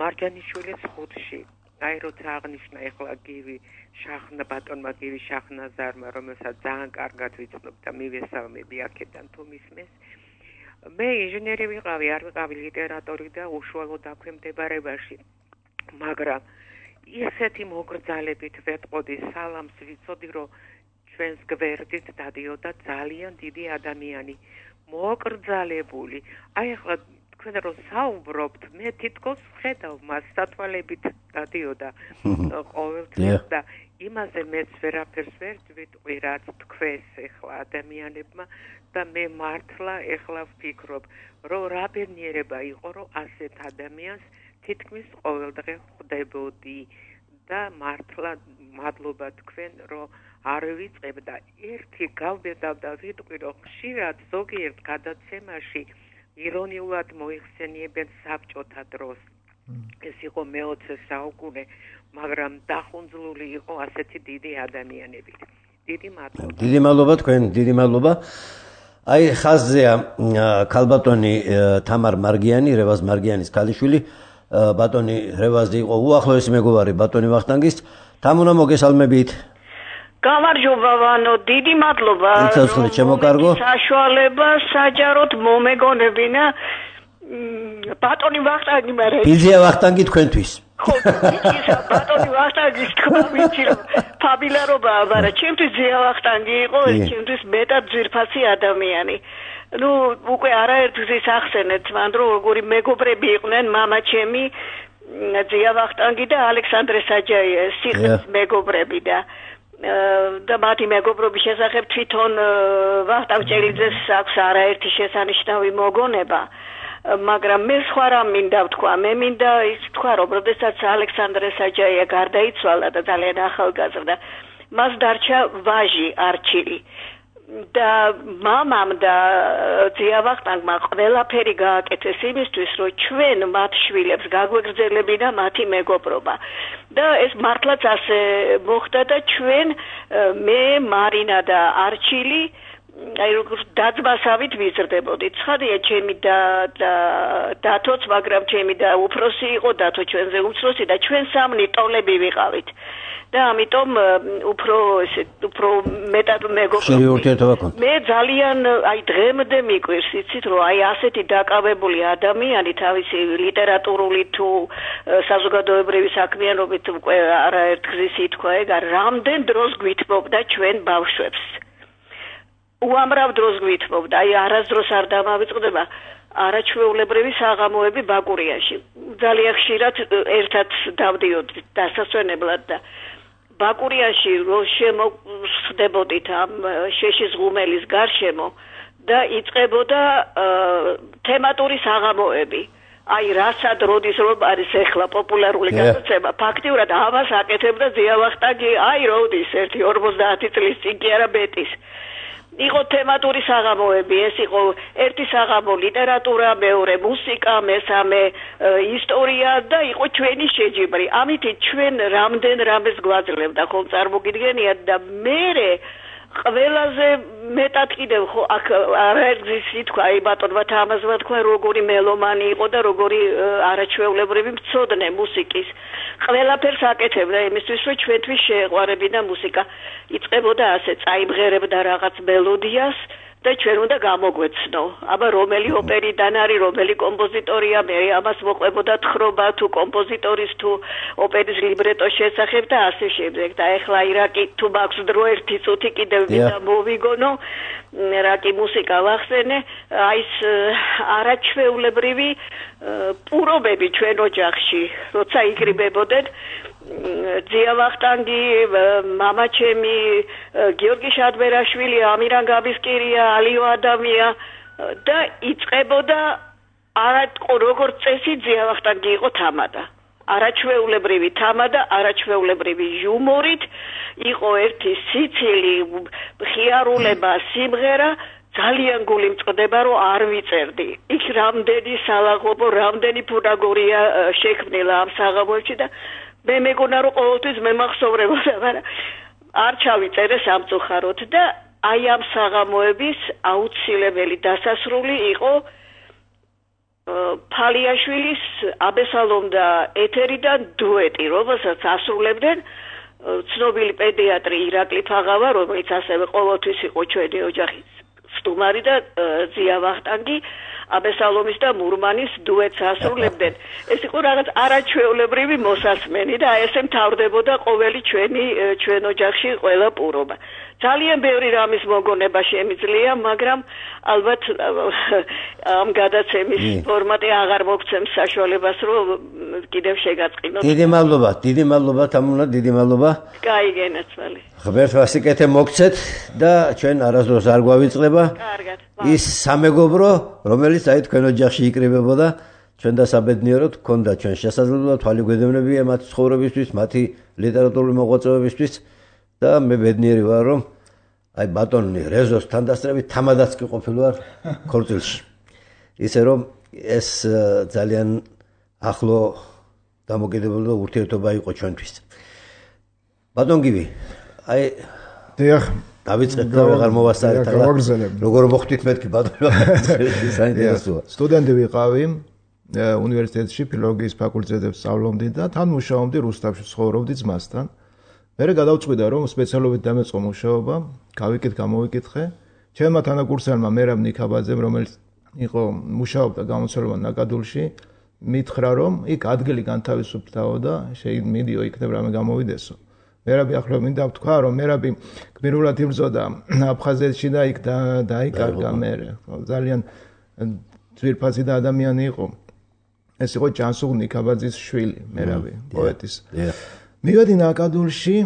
მარჯანიშვილის ხუთში. აი როცა აღნიშნა ეხლა გივი შახნა ბატონმა გივი შაχνაზარმა, რომელსაც ძალიან კარგად ვიცნობ და მივესალმები აქედან თუ მისმეს. მე ინჟინერი ვიყავი, არ ვიყავი ლიტერატორი და უშუალო დაქვემდებარებაში. მაგრამ ისეთი მოგრძალებით ვეტყოდი სალამს ვიცოდი რომ ჩვენს გვერდით დადიოდა ძალიან დიდი ადამიანი მოგრძალებული აი ახლა თქვენ რომ საუბრობთ მე თითქოს ხედავ მას სათვალებით დადიოდა ყოველთვის და იმაზე მეც ვერაფერს ვერ ვიტყვი რაც თქვენს ახლა ადამიანებმა და მე მართლა ახლა ვფიქრობ რომ რა ბედნიერება იყო რომ ასეთ ადამიანს თითქმის ყოველდღე ხვდებოდი და მართლა მადლობა თქვენ რომ არ ვიწყებ და ერთი გავბედავ და ვიტყვი რომ ხშირად ზოგიერთ გადაცემაში ირონიულად მოიხსენიებენ საბჭოთა დროს ეს იყო მეოცე საუკუნე მაგრამ დახუნძლული იყო ასეთი დიდი ადამიანები დიდი მადლობა დიდი მადლობა თქვენ დიდი მადლობა აი ხაზზეა ქალბატონი თამარ მარგიანი რევაზ მარგიანის ქალიშვილი ბატონი რევაზი იყო უახლოესი მეგობარი ბატონი ვახტანგის თამუნა მოგესალმებით გამარჯობა ვანო დიდი მადლობა იცოცხლე ჩემოკარგო საშუალება საჯაროდ მომეგონებინა ბატონი ვახტანგი მერე ბიზია ვახტანგი თქვენთვის ხო ისა ბატონი ვახტანგის თქვა ვიცი რომ ფაბილარობა მაგრამ ჩემთვის ზია ვახტანგი იყო ჩემთვის მეტად ძვირფასი ადამიანი ну უკვე არაერთგზის ახსენეთ მან რომ როგორი მეგობრები იყვნენ мама ჩემი ზია ვახტანგი და ალექსანდრე საჯაია სიხის მეგობრები და და მათი მეგობრობის შესახებ თვითონ ვახტანგ ჭელიძეს აქვს არაერთი შესანიშნავი მოგონება მაგრამ მე სხვა რამ მინდა ვთქვა მე მინდა ის თქვა რომ როდესაც ალექსანდრე საჯაია გარდაიცვალა და ძალიან ახალგაზრდა მას დარჩა ვაჟი არჩილი და მამამ და ძიავახტანგმა ყველაფერი გააკეთეს იმისთვის, რომ ჩვენ მათ შვილებს გაგვეგრძელებინა მათი მეგობრობა. და ეს მართლაც ასე მოხდა და ჩვენ მე, მარინა და არჩილი აი როგორ დაძმასავით ვიზრდებოდით. ცხადია, ჩემი და დათოც, მაგრამ ჩემი და უფროსი იყო, დათო ჩვენზე უმცროსი და ჩვენ სამნი ტოლები ვიყავით. და ამიტომ უფრო ესე უფრო მეტად მეგობრობა. მე ძალიან აი დღემდე მიყვირს, იცით, რომ აი ასეთი დაკავებული ადამიანი თავისი ლიტერატურული თუ საზოგადოებრივი საქმიანობით უკვე არაერთ გზის ითქვა ეგ, რამდენ დროს გვითმობდა ჩვენ ბავშვებს. უამრავ დროს გვითმობდა, აი არასდროს არ დამავიწყდება არაჩვეულებრივი საღამოები ბაკურიაში. ძალიან ხშირად ერთად დავდიოდით დასასვენებლად და ბაკურიაში რო შემოხდებოდით ამ შეშის ღუმელის გარშემო და იწყებოდა თემატური საღამოები. აი რასად როდის რომ არის ახლა პოპულარული გადაცემა, ფაქტიურად ამას აკეთებდა ძიავახტანგი, აი როდის ერთი ორმოცდაათი წლის წინ კი არა მეტის. იყო თემატური საღამოები, ეს იყო ერთი საღამო ლიტერატურა, მეორე მუსიკა, მესამე ისტორია და იყო ჩვენი შეჯიბრი. ამით ჩვენ რამდენ რამეს გვაძლევდა, ხომ წარმოგიდგენიათ და მერე ყველაზე მეტად კიდევ ხო აქ არაერთგზის ითქვა, აი ბატონმა თამაზმა თქვა, როგორი მელომანი იყო და როგორი არაჩვეულებრივი მცოდნე მუსიკის. ყველაფერს აკეთებდა იმისთვის, რომ ჩვენთვის შეეყვარებინა მუსიკა. იწყებოდა ასე, წაიმღერებდა რაღაც მელოდიას და ჩვენ უნდა გამოგვეცნო. აბა რომელი ოპერიდან არის, რომელი კომპოზიტორია, მე ამას მოყვებოდა თხრობა თუ კომპოზიტორის თუ ოპერის ლიბრეტოს შესახებ და ასე შემდეგ. და ეხლა ირაკი თუ მაქვს დრო ერთი წუთი კიდევ მინდა მოვიგონო, რაკი მუსიკა ვახსენე, აი ეს არაჩვეულებრივი პურობები ჩვენ ოჯახში, როცა იკრიბებოდნენ ძიავახტანგი, მამა ჩემი, გიორგი შადბერაშვილი, ამირან გაბისკირია, ალიო ადამია და იწყებოდა არა როგორც წესი ძიავახტანგი იყო თამადა. არაჩვეულებრივი თამადა, არაჩვეულებრივი იუმორით, იყო ერთი სიცილი, ხიარულება, სიმღერა, ძალიან გული მწყდება, რომ არ ვიწერდი. იქ რამდენი სალაღობო, რამდენი ფუნაგორია შექმნილა ამ საღამოებში და მე მეგონა რომ ყოველთვის მემახსოვრებოდა, მაგრამ არ ჩავიწერე სამწუხაროდ და აი ამ საღამოების აუცილებელი დასასრული იყო ფალიაშვილის აბესალომ და ეთერიდან დუეტი, რომელსაც ასრულებდნენ ცნობილი პედიატრი ირაკლი ფაღავა, რომელიც ასევე ყოველთვის იყო ჩვენი ოჯახის სტუმარი და ძიავახტანგი აბესალომის და მურმანის დუეტს ასრულებდნენ. ეს იყო რაღაც არაჩვეულებრივი მოსასმენი და ესე მთავრდებოდა ყოველი ჩვენი ჩვენ ოჯახში ყველა პურობა. ძალიან ბევრი რამის მოგონება შემიძლია, მაგრამ ალბათ ამ გადაცემის ფორმატი აღარ მოგცემს საშუალებას, რომ კიდევ შეგაწყინოთ. დიდი მადლობა, დიდი მადლობა თამუნა, დიდი მადლობა. კაი გენაცვალე. ღმერთმა სიკეთე მოგცეთ და ჩვენ არასდროს არ გვავიწყდება. კარგად. ის სამეგობრო, რომელიც აი თქვენ ოჯახში იკრიბებოდა, ჩვენ დასაბედნიეროდ გქონდა ჩვენ შესაძლებლობა თვალი გვედევნებია მათი ცხოვრებისთვის, მათი ლიტერატურული მოღვაწეობისთვის და მე ბედნიერი ვარ, რომ აი ბატონი რეზოს თანდასწრებით თამადაც კი ყოფილვარ ქორწილში. ისე რომ ეს ძალიან ახლო დამოკიდებული და ურთიერთობა იყო ჩვენთვის. ბატონ გივი, აი დიახ, დავიწყეთ და ვეღარ მოვასწარეთ, როგორ მოხდით მეთქი ბატონო, საინტერესოა. სტუდენტი ვიყავი უნივერსიტეტში, ფილოლოგიის ფაკულტეტზე სწავლობდი და თან მუშაობდი რუსთავში, ცხოვრობდი ძმასთან. მერე გადავწყვიტე რომ სპეციალობით დამეწყო მუშაობა, გავიკეთ, გამოვიკითხე. ჩემმა თანაკურსელმა მერაბ ნიქაბაძემ, რომელიც იყო მუშაობდა გამოცდილებად ნაკადულში, მითხრა რომ იქ ადგილი განთავისუფლდაო და შემიდიო იქნებ რამე გამოვიდესო. მერაბი ახლა მინდა ვთქვა რომ მერაბი გმირულად იბრძოდა აფხაზეთში და იქ დაიკარგა მერე. ძალიან ძვირფასი და ადამიანი იყო. ეს იყო ჯანსუღ ნიქაბაძის შვილი, მერაბი, პოეტის. მივედი ნაკადულში,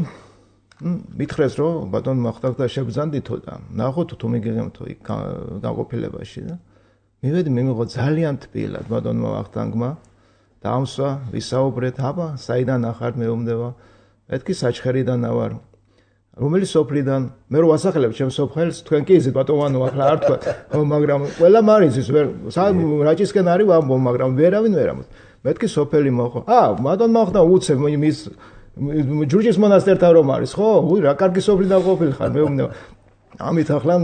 მითხრეს რომ ბატონ მახტაგ და შეგზანდითო და ნახოთ თუ მიგიღებთო იქ განყოფილებაში და მივედი მიმიღო ძალიან თბილად ბატონმა ვახტანგმა დაამსვა ვისაუბრეთ აბა საიდან ახარ მეომდება მეთქი საჩხერიდან ავარ რომელი სოფლიდან მე რო ვასახელებ ჩემს სოფელს თქვენ კი იზეთ ბატონო ახლა არ თქვა მაგრამ ყველა მარიზის ვერ რაჭისკენ არის ვამბობ მაგრამ ვერავინ ვერ ამბობს მეთქი სოფელი მოხო აა ბატონ მოხდა უცებ მის ჯურჯის მონასტერთან რომ არის ხო უი რა კარგი სოფლიდან ყოფილი ხარ მეუბნება ამით ახლა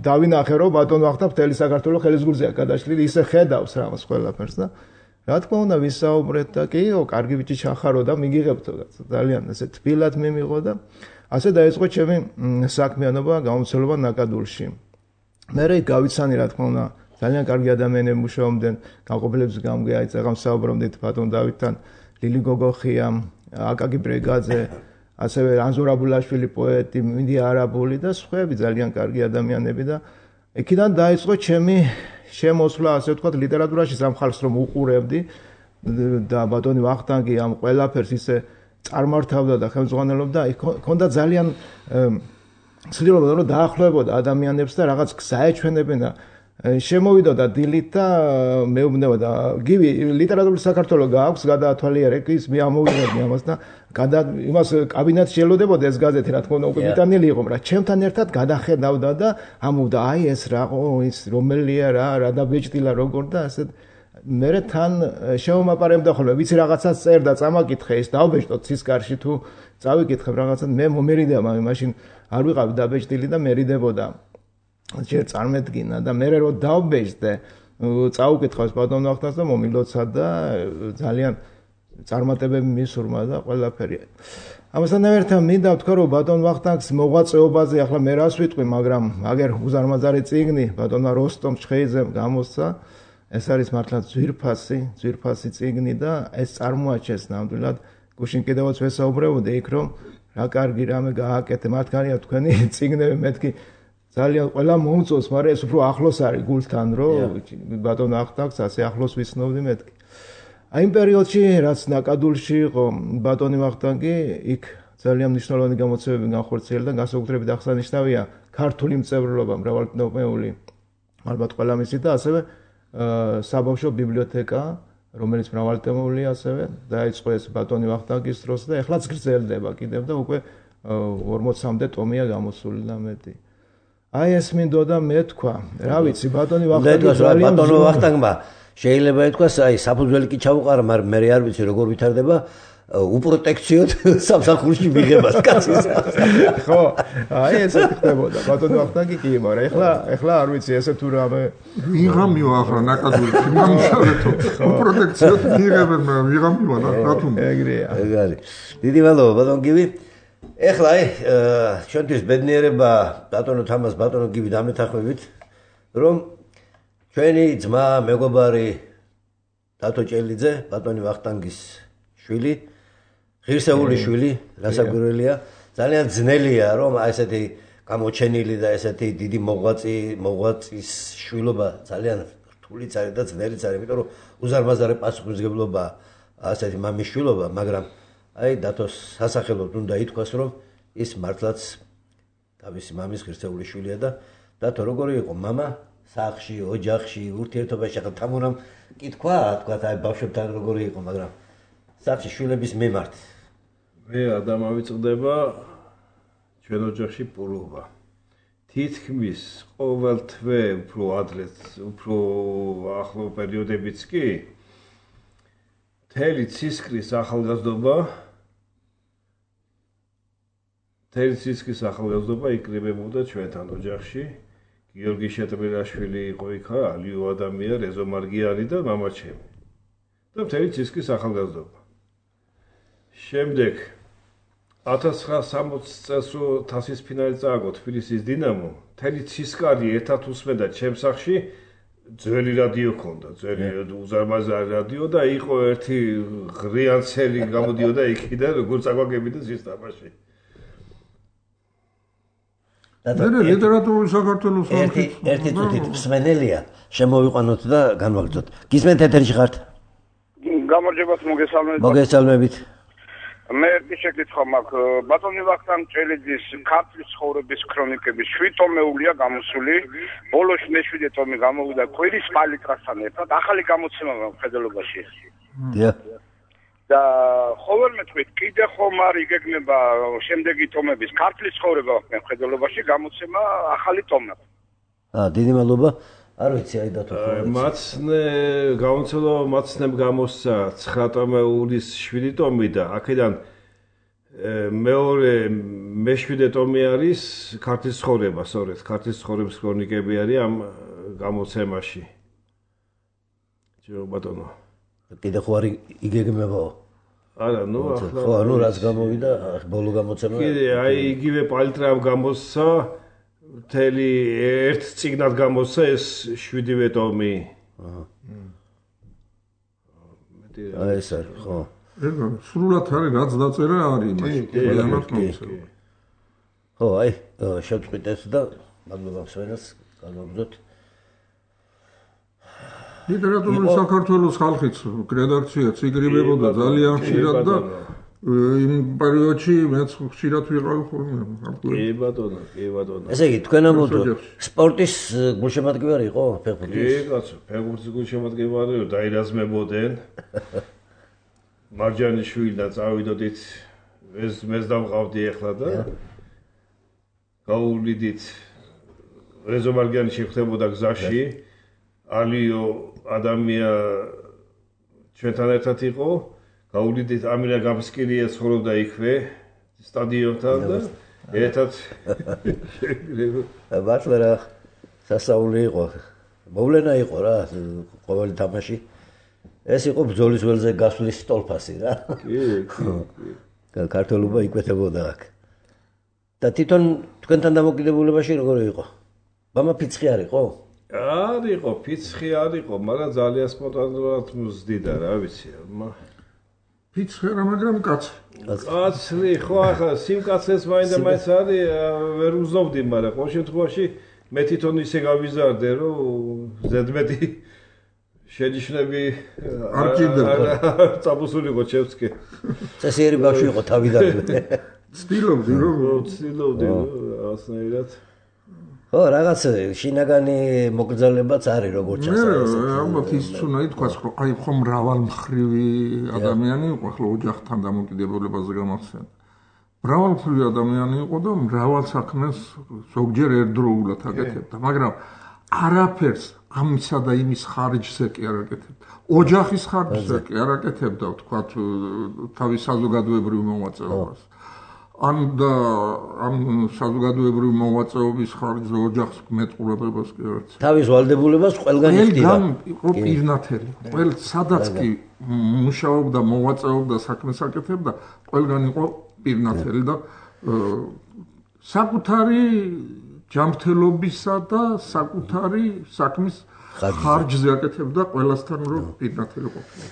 დავინახე რომ ბატონო ახლა მთელი საქართველოს ხელის გულზეა გადაშლილი ისე ხედავს რამას ყველაფერს და რა თქმა უნდა ვისაუბრეთ და კიო კარგი ბიჭი ჩახარო და მიგიღებთ ძალიან ესე თბილად მიმიღო და ასე დაიწყო ჩემი საქმიანობა გამოცდილება ნაკადულში მე რე გავიცანი რა თქმა უნდა ძალიან კარგი ადამიანები მუშაობდნენ განყოფილების გამგე აი წეგამ საუბრობდით ბატონ დავითთან ლილი გოგოხია აკაკი ბრეგაძე ასევე ანზორაბულაშვილი პოეტი მინდი არაბული და სხვაები ძალიან კარგი ადამიანები და იქიდან დაიწყო ჩემი შემოსვლა ასე ვთქვათ ლიტერატურაში სამ ხალხს რომ უყურებდი და ბატონი ვახტანგი ამ ყველაფერს ისე წარმართავდა და ხელმძღვანელობდა იქონდა ძალიან ცდილობდა რომ დაახლოებოდა ადამიანებს და რაღაც გზა ეჩვენებენ და შემოვიდოდა დილით და მეუბნება და გივი ლიტერატურული საქართველოს გააქვს გადაათვალიერე ის მე ამოვიღებდი ამას და გადა იმას კაბინეტში ელოდებოდა ეს გაზეთი რა თქმა უნდა უკვე მიტანილი იყო მაგრამ ჩემთან ერთად გადახედავდა და ამოვდა აი ეს რა ო ის რომელია რა რა დაბეჭდილა როგორ და ასე მე თან შემომაპარებდა ხოლმე ვიცი რაღაცას წერდა წამაკითხე ის დავბეჭდოთ ცისკარში თუ წავიკითხებ რაღაცას მე მომერიდება მაშინ არ ვიყავი დაბეჭდილი და მერიდებოდა ჯერ წარმედგინა და მე რო დავბეჭდე წაუკითხავს ბატონ ვახტანს და მომილოცა და ძალიან წარმატებები მისურმა და ყველაფერი ამასთან ერთად მინდა ვთქვა რომ ბატონ ვახტანგს მოღვაწეობაზე ახლა მე რას ვიტყვი მაგრამ აგერ უზარმაზარი წიგნი ბატონმა როსტომ ჩხეიძემ გამოსცა ეს არის მართლა ძვირფასი ძვირფასი წიგნი და ეს წარმოაჩენს ნამდვილად გუშინ კიდევაც ვესაუბრებოდი იქ რომ რა კარგი რამე გააკეთე მართალია თქვენი წიგნები მეთქი ძალიან ყველა მომწონს მაგრამ ეს უფრო ახლოს არის გულთან რომ ბატონ ვახტანგს ასე ახლოს ვიცნობდი მეთქი აი იმ პერიოდში რაც ნაკადულში იყო ბატონი ვახტანგი იქ ძალიან მნიშვნელოვანი გამოცემები განხორციელდა და განსაკუთრებით აღსანიშნავია ქართული მწერლობა მრავალტომეული ალბათ ყველა მისით და ასევე საბავშვო ბიბლიოთეკა რომელიც მრავალტომეულია ასევე დაიწყო ეს ბატონი ვახტანგის დროს და ეხლაც გრძელდება კიდევ და უკვე ორმოცამდე ტომია გამოსული და მეტი აი ეს მინდოდა მე თქვა რა ვიცი ბატონი ვახტანგი ძალიან ბატონო ვახტანგმა შეიძლება ითქვას აი საფუძველი კი ჩაუყარა მაგრამ მე არ ვიცი როგორ ვითარდება უპროტექციოდ სამსახურში მიღებას კაცის ხო აი ესე ხდებოდა ბატონო ვახტანგი კი მაგრამ ეხლა ეხლა არ ვიცი ესე თუ რამე ვიღამიო ახლა ნაკადულში მომშალეთო უპროტექციოდ მიღებენ ვიღამიო რა თქმა უნდა ეგრეა ეგ არის დიდი მადლობა ბატონ გივი ეხლა აი ჩვენთვის ბედნიერება ბატონო თამას ბატონო გივი დამეთანხმებით რომ ჩვენი ძმა მეგობარი დათო ჭელიძე ბატონი ვახტანგის შვილი ღირსეული შვილი რასაკვირველია ძალიან ძნელია რომ აი ესეთი გამოჩენილი და ესეთი დიდი მოღვაწი მოღვაწის შვილობა ძალიან რთულიც არის და ძნელიც არის იმიტომ რომ უზარმაზარი პასუხისმგებლობა ასეთი მამის შვილობა მაგრამ აი დათოს სასახელოდ უნდა ითქვას რომ ის მართლაც თავისი მამის ღირსეული შვილია და დათო როგორი იყო მამა სახში ოჯახში ურთიერთობაში ახლა თამურამ კი თქვა თქვა აი ბავშვებთან როგორი იყო მაგრამ სახში შვილების მიმართ მე ადამავიწყდება ჩვენ ოჯახში პულობა თითქმის ყოველ თვე უფრო ადრეც უფრო ახლო პერიოდებიც კი თელი ცისკრის ახალგაზრდობა თელი ცისკრის ახალგაზრდობა იკრიბებოდა ჩვენთან ოჯახში გიორგი შეტბილაშვილი იყო იქა ალიო ადამია რეზო მარგიანი და მამა ჩემი და თელი ცისკრის ახალგაზრდობა შემდეგ ათას ცხრაასი წელს რო თასის ფინალი წააგო თბილისის დინამო თელი ცისკარი ერთად უსმენდა ჩემს სახში ძველი რადიო ქონდა, ძველი უზარმაზარი რადიო და იყო ერთი ღრიანცელი გამოდიოდა იქიდან როგორც აგვაგებიდა სისტემაში. მე ლიტერატურული საქართველოს ერთი ერთი წუთით მსმენელია შემოვიყვანოთ და განვაგრძოთ. გისმენთ ეთერში ხართ? გამარჯობათ მოგესალმებით. მოგესალმებით. მე ერთი შეკითხვა მაქვს. ბატონი ვახტანგ ჭელიძის ქართლის ცხოვრების ქრონიკების შვიდ ტომეულია გამოსული. ბოლოს მეშვიდე ტომი გამოვიდა კვირის პალიტრასთან ერთად. ახალი გამოცემა მხედველობაში. დიახ. და ხოლმე მეტყვით კიდე ხომ არ იგეგმება შემდეგი ტომების ქართლის ცხოვრება მხედველობაში გამოცემა ახალი ტომა. აა დიდი მადლობა. არ ვიცი აი დათო. მაცნე გამოცემა მაცნემ გამოსცა ცხრა ტომეულის შვიდი ტომი და აქედან მეორე მეშვიდე ტომი არის ქართლის ცხოვრება, სწორედ ქართლის ცხოვრების ქრონიკები არის ამ გამოცემაში. ჯო ბატონო. კიდე ხო არ იგეგმებაო? არა, ნუ ახლა ხო, ანუ რაც გამოვიდა, ბოლო გამოცემა. კიდე აი იგივე პალიტრამ გამოსცა, მთელი ერთ წიგნად გამოსცა ეს შვიდივე ტომი. აჰა. აი ეს არის, ხო. ეგა სრულად არის რაც დაწერა არის იმაში. ყველანაირად მომცემ. ხო, აი, შევწყვიტ ეს და მადლობა მსმენელს, განვაგრძოთ. ლიტერატურული საქართველოს ხალხიც რედაქციაც იგრიბებოდა ძალიან ხშირად და იმ პერიოდში მეც ხშირად ვიყავ ხოლმე. კი ბატონო, კი ბატონო. ესე იგი, თქვენ ამბობთ, სპორტის გულშემატკივარი იყო ფეხბურთის? კი, კაცო, ფეხბურთის გულშემატკივარი დაირაზმებოდნენ. მარჯანიშვილი და წავიდოდით ეს მეც დავყავდი ახლა და გაუვლიდით რეზო მარჯანიში ხდებოდა გზაში. ალიო ადამია ჩვენთან ერთად იყო, გაუვლიდით ამინა გამსკილია ცხოვრობდა იქვე სტადიონთან და ერთად მართლა რა სასაული იყო. მოვლენა იყო რა ყოველი თამაში. ეს იყო ბრძოლის ველზე გასვლის სტოლფასი რა. კი, კი. ქართველობა იკვეთებოდა აქ. და თვითონ თქვენთან დამოკიდებულებაში როგორი იყო? მამა ფიცხი არ იყო? არ იყო, ფიცხი არ იყო, მაგრამ ძალიან სპონტანურად მზდიდა, რა ვიცი. ფიცხი რა, მაგრამ კაცი. კაცი, ხო ახლა სიმკაცეს მაინდა მაინც არის, ვერ უზნობდი, მაგრამ ყოველ შემთხვევაში მე თვითონ ისე გავიზარდე, რომ ზედმეტი შეჯიშნები არ ჭირდებოდა. წაბუსულიყო ჩემსკი. წესიერი ბავშვი იყო თავიდანვე. ცდილობდი რომ ცდილობდი ასნაირად. ხო, რაღაც შინაგანი მოგრძალებაც არის როგორც ჩანს. მე ალბათ ის უნდა ითქვას, რომ აი ხომ მრავალმხრივი ადამიანი იყო, ახლა ოჯახთან დამოკიდებულებაზე გამახსენე. მრავალმხრივი ადამიანი იყო და მრავალ საქმეს ზოგჯერ ერთდროულად აკეთებდა, მაგრამ არაფერს ამისა და იმის ხარჯზე კი არ აკეთებდა. ოჯახის ხარჯზე კი არ აკეთებდა, ვთქვათ, თავის საზოგადოებრივ მოღვაწეობას. ან და ამ საზოგადოებრივი მოღვაწეობის ხარჯზე ოჯახს მეტყურებებას კი არ ეცემა. თავის ვალდებულებას ყველგან იხდიდა. ყველგან იყო პირნათელი. ყველ სადაც კი მუშაობდა, მოღვაწეობდა, საქმეს აკეთებდა, ყველგან იყო პირნათელი და საკუთარი ჯანმრთელობისა და საკუთარი საქმის ხარჯზე აკეთებდა ყველასთან რომ პირნათელი ყოფილა.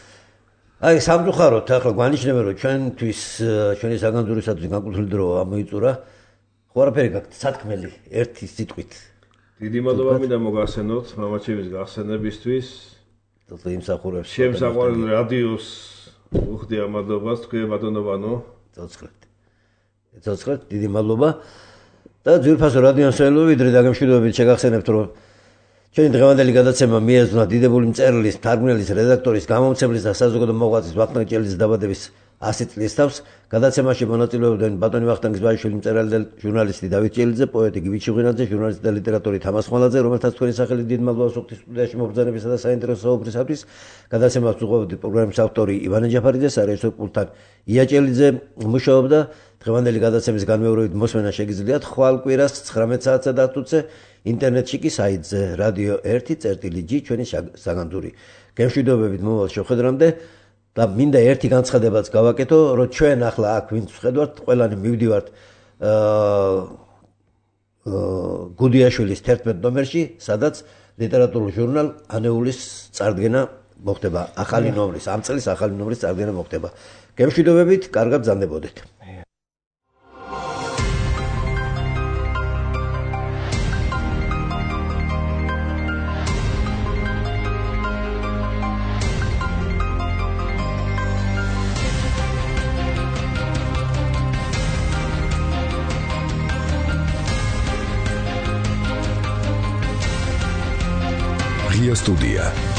აი სამწუხაროდ ახლა გვანიშნება რომ ჩვენთვის ჩვენი საგანძურისათვის განკუთვნილი დრო ამოიწურა. ხო არაფერი გაქვთ სათქმელი ერთი სიტყვით. დიდი მადლობა მინდა მოგახსენოთ მამაჩემის გახსენებისთვის. თუმცა იმსახურებს შემსაყვარელ რადიოს უხდი ამადობას თქვენ ბატონო. ცოცხლეთ. ცოცხლეთ დიდი მადლობა. და ძვირფასო რადიო მსმენელები ვიდრე დაგემშვიდობებით შეგახსენებთ რომ ჩვენი დღევანდელი გადაცემა მიეძღვნა დიდებული მწერლის, თარგმნელის, რედაქტორის, გამომცემლის და საზოგადო მოღვაწის ვახტანგ ჭელიძის დაბადების ასი წლის თავს გადაცემაში მონაწილეობდნენ ბატონი ვახტანგის ბაიშვილი მწერალი და ჟურნალისტი დავით ჭელიძე, პოეტი გივი ჩუღინაძე, ჟურნალისტი და ლიტერატორი თამას ხმალაძე, რომელთაც თქვენი სახელით დიდ მადლობას ვუხდით სტუდიაში მობრძანებისა და საინტერესო საუბრისათვის. გადაცემას უყურებთ პროგრამის ავტორი ივანე ჯაფარიძე, სარეჟისორო პულტთან ია ჭელიძე მუშაობდა. დღევანდელი გადაცემის განმეორებით მოსმენა შეგიძლიათ ხვალ კვირას ცხრამეტ საათსა და ათზე ინტერნეტში კი საიტზე რადიო ერთი წერტილი ჯი ჩვენი საგანძური. გემშვიდობებით მომავალ შეხვედრამდე და მინდა ერთი განცხადებაც გავაკეთო, რომ ჩვენ ახლა აქ ვინც ვხედავთ, ყველანი მივდივართ გუდიაშვილის თერთმეტ ნომერში, სადაც ლიტერატურულ ჟურნალ ანეულის წარდგენა მოხდება, ახალი ნომრის, ამ წლის ახალი ნომრის წარდგენა მოხდება. გემშვიდობებით, კარგად ბრძანდებოდეთ. Студия.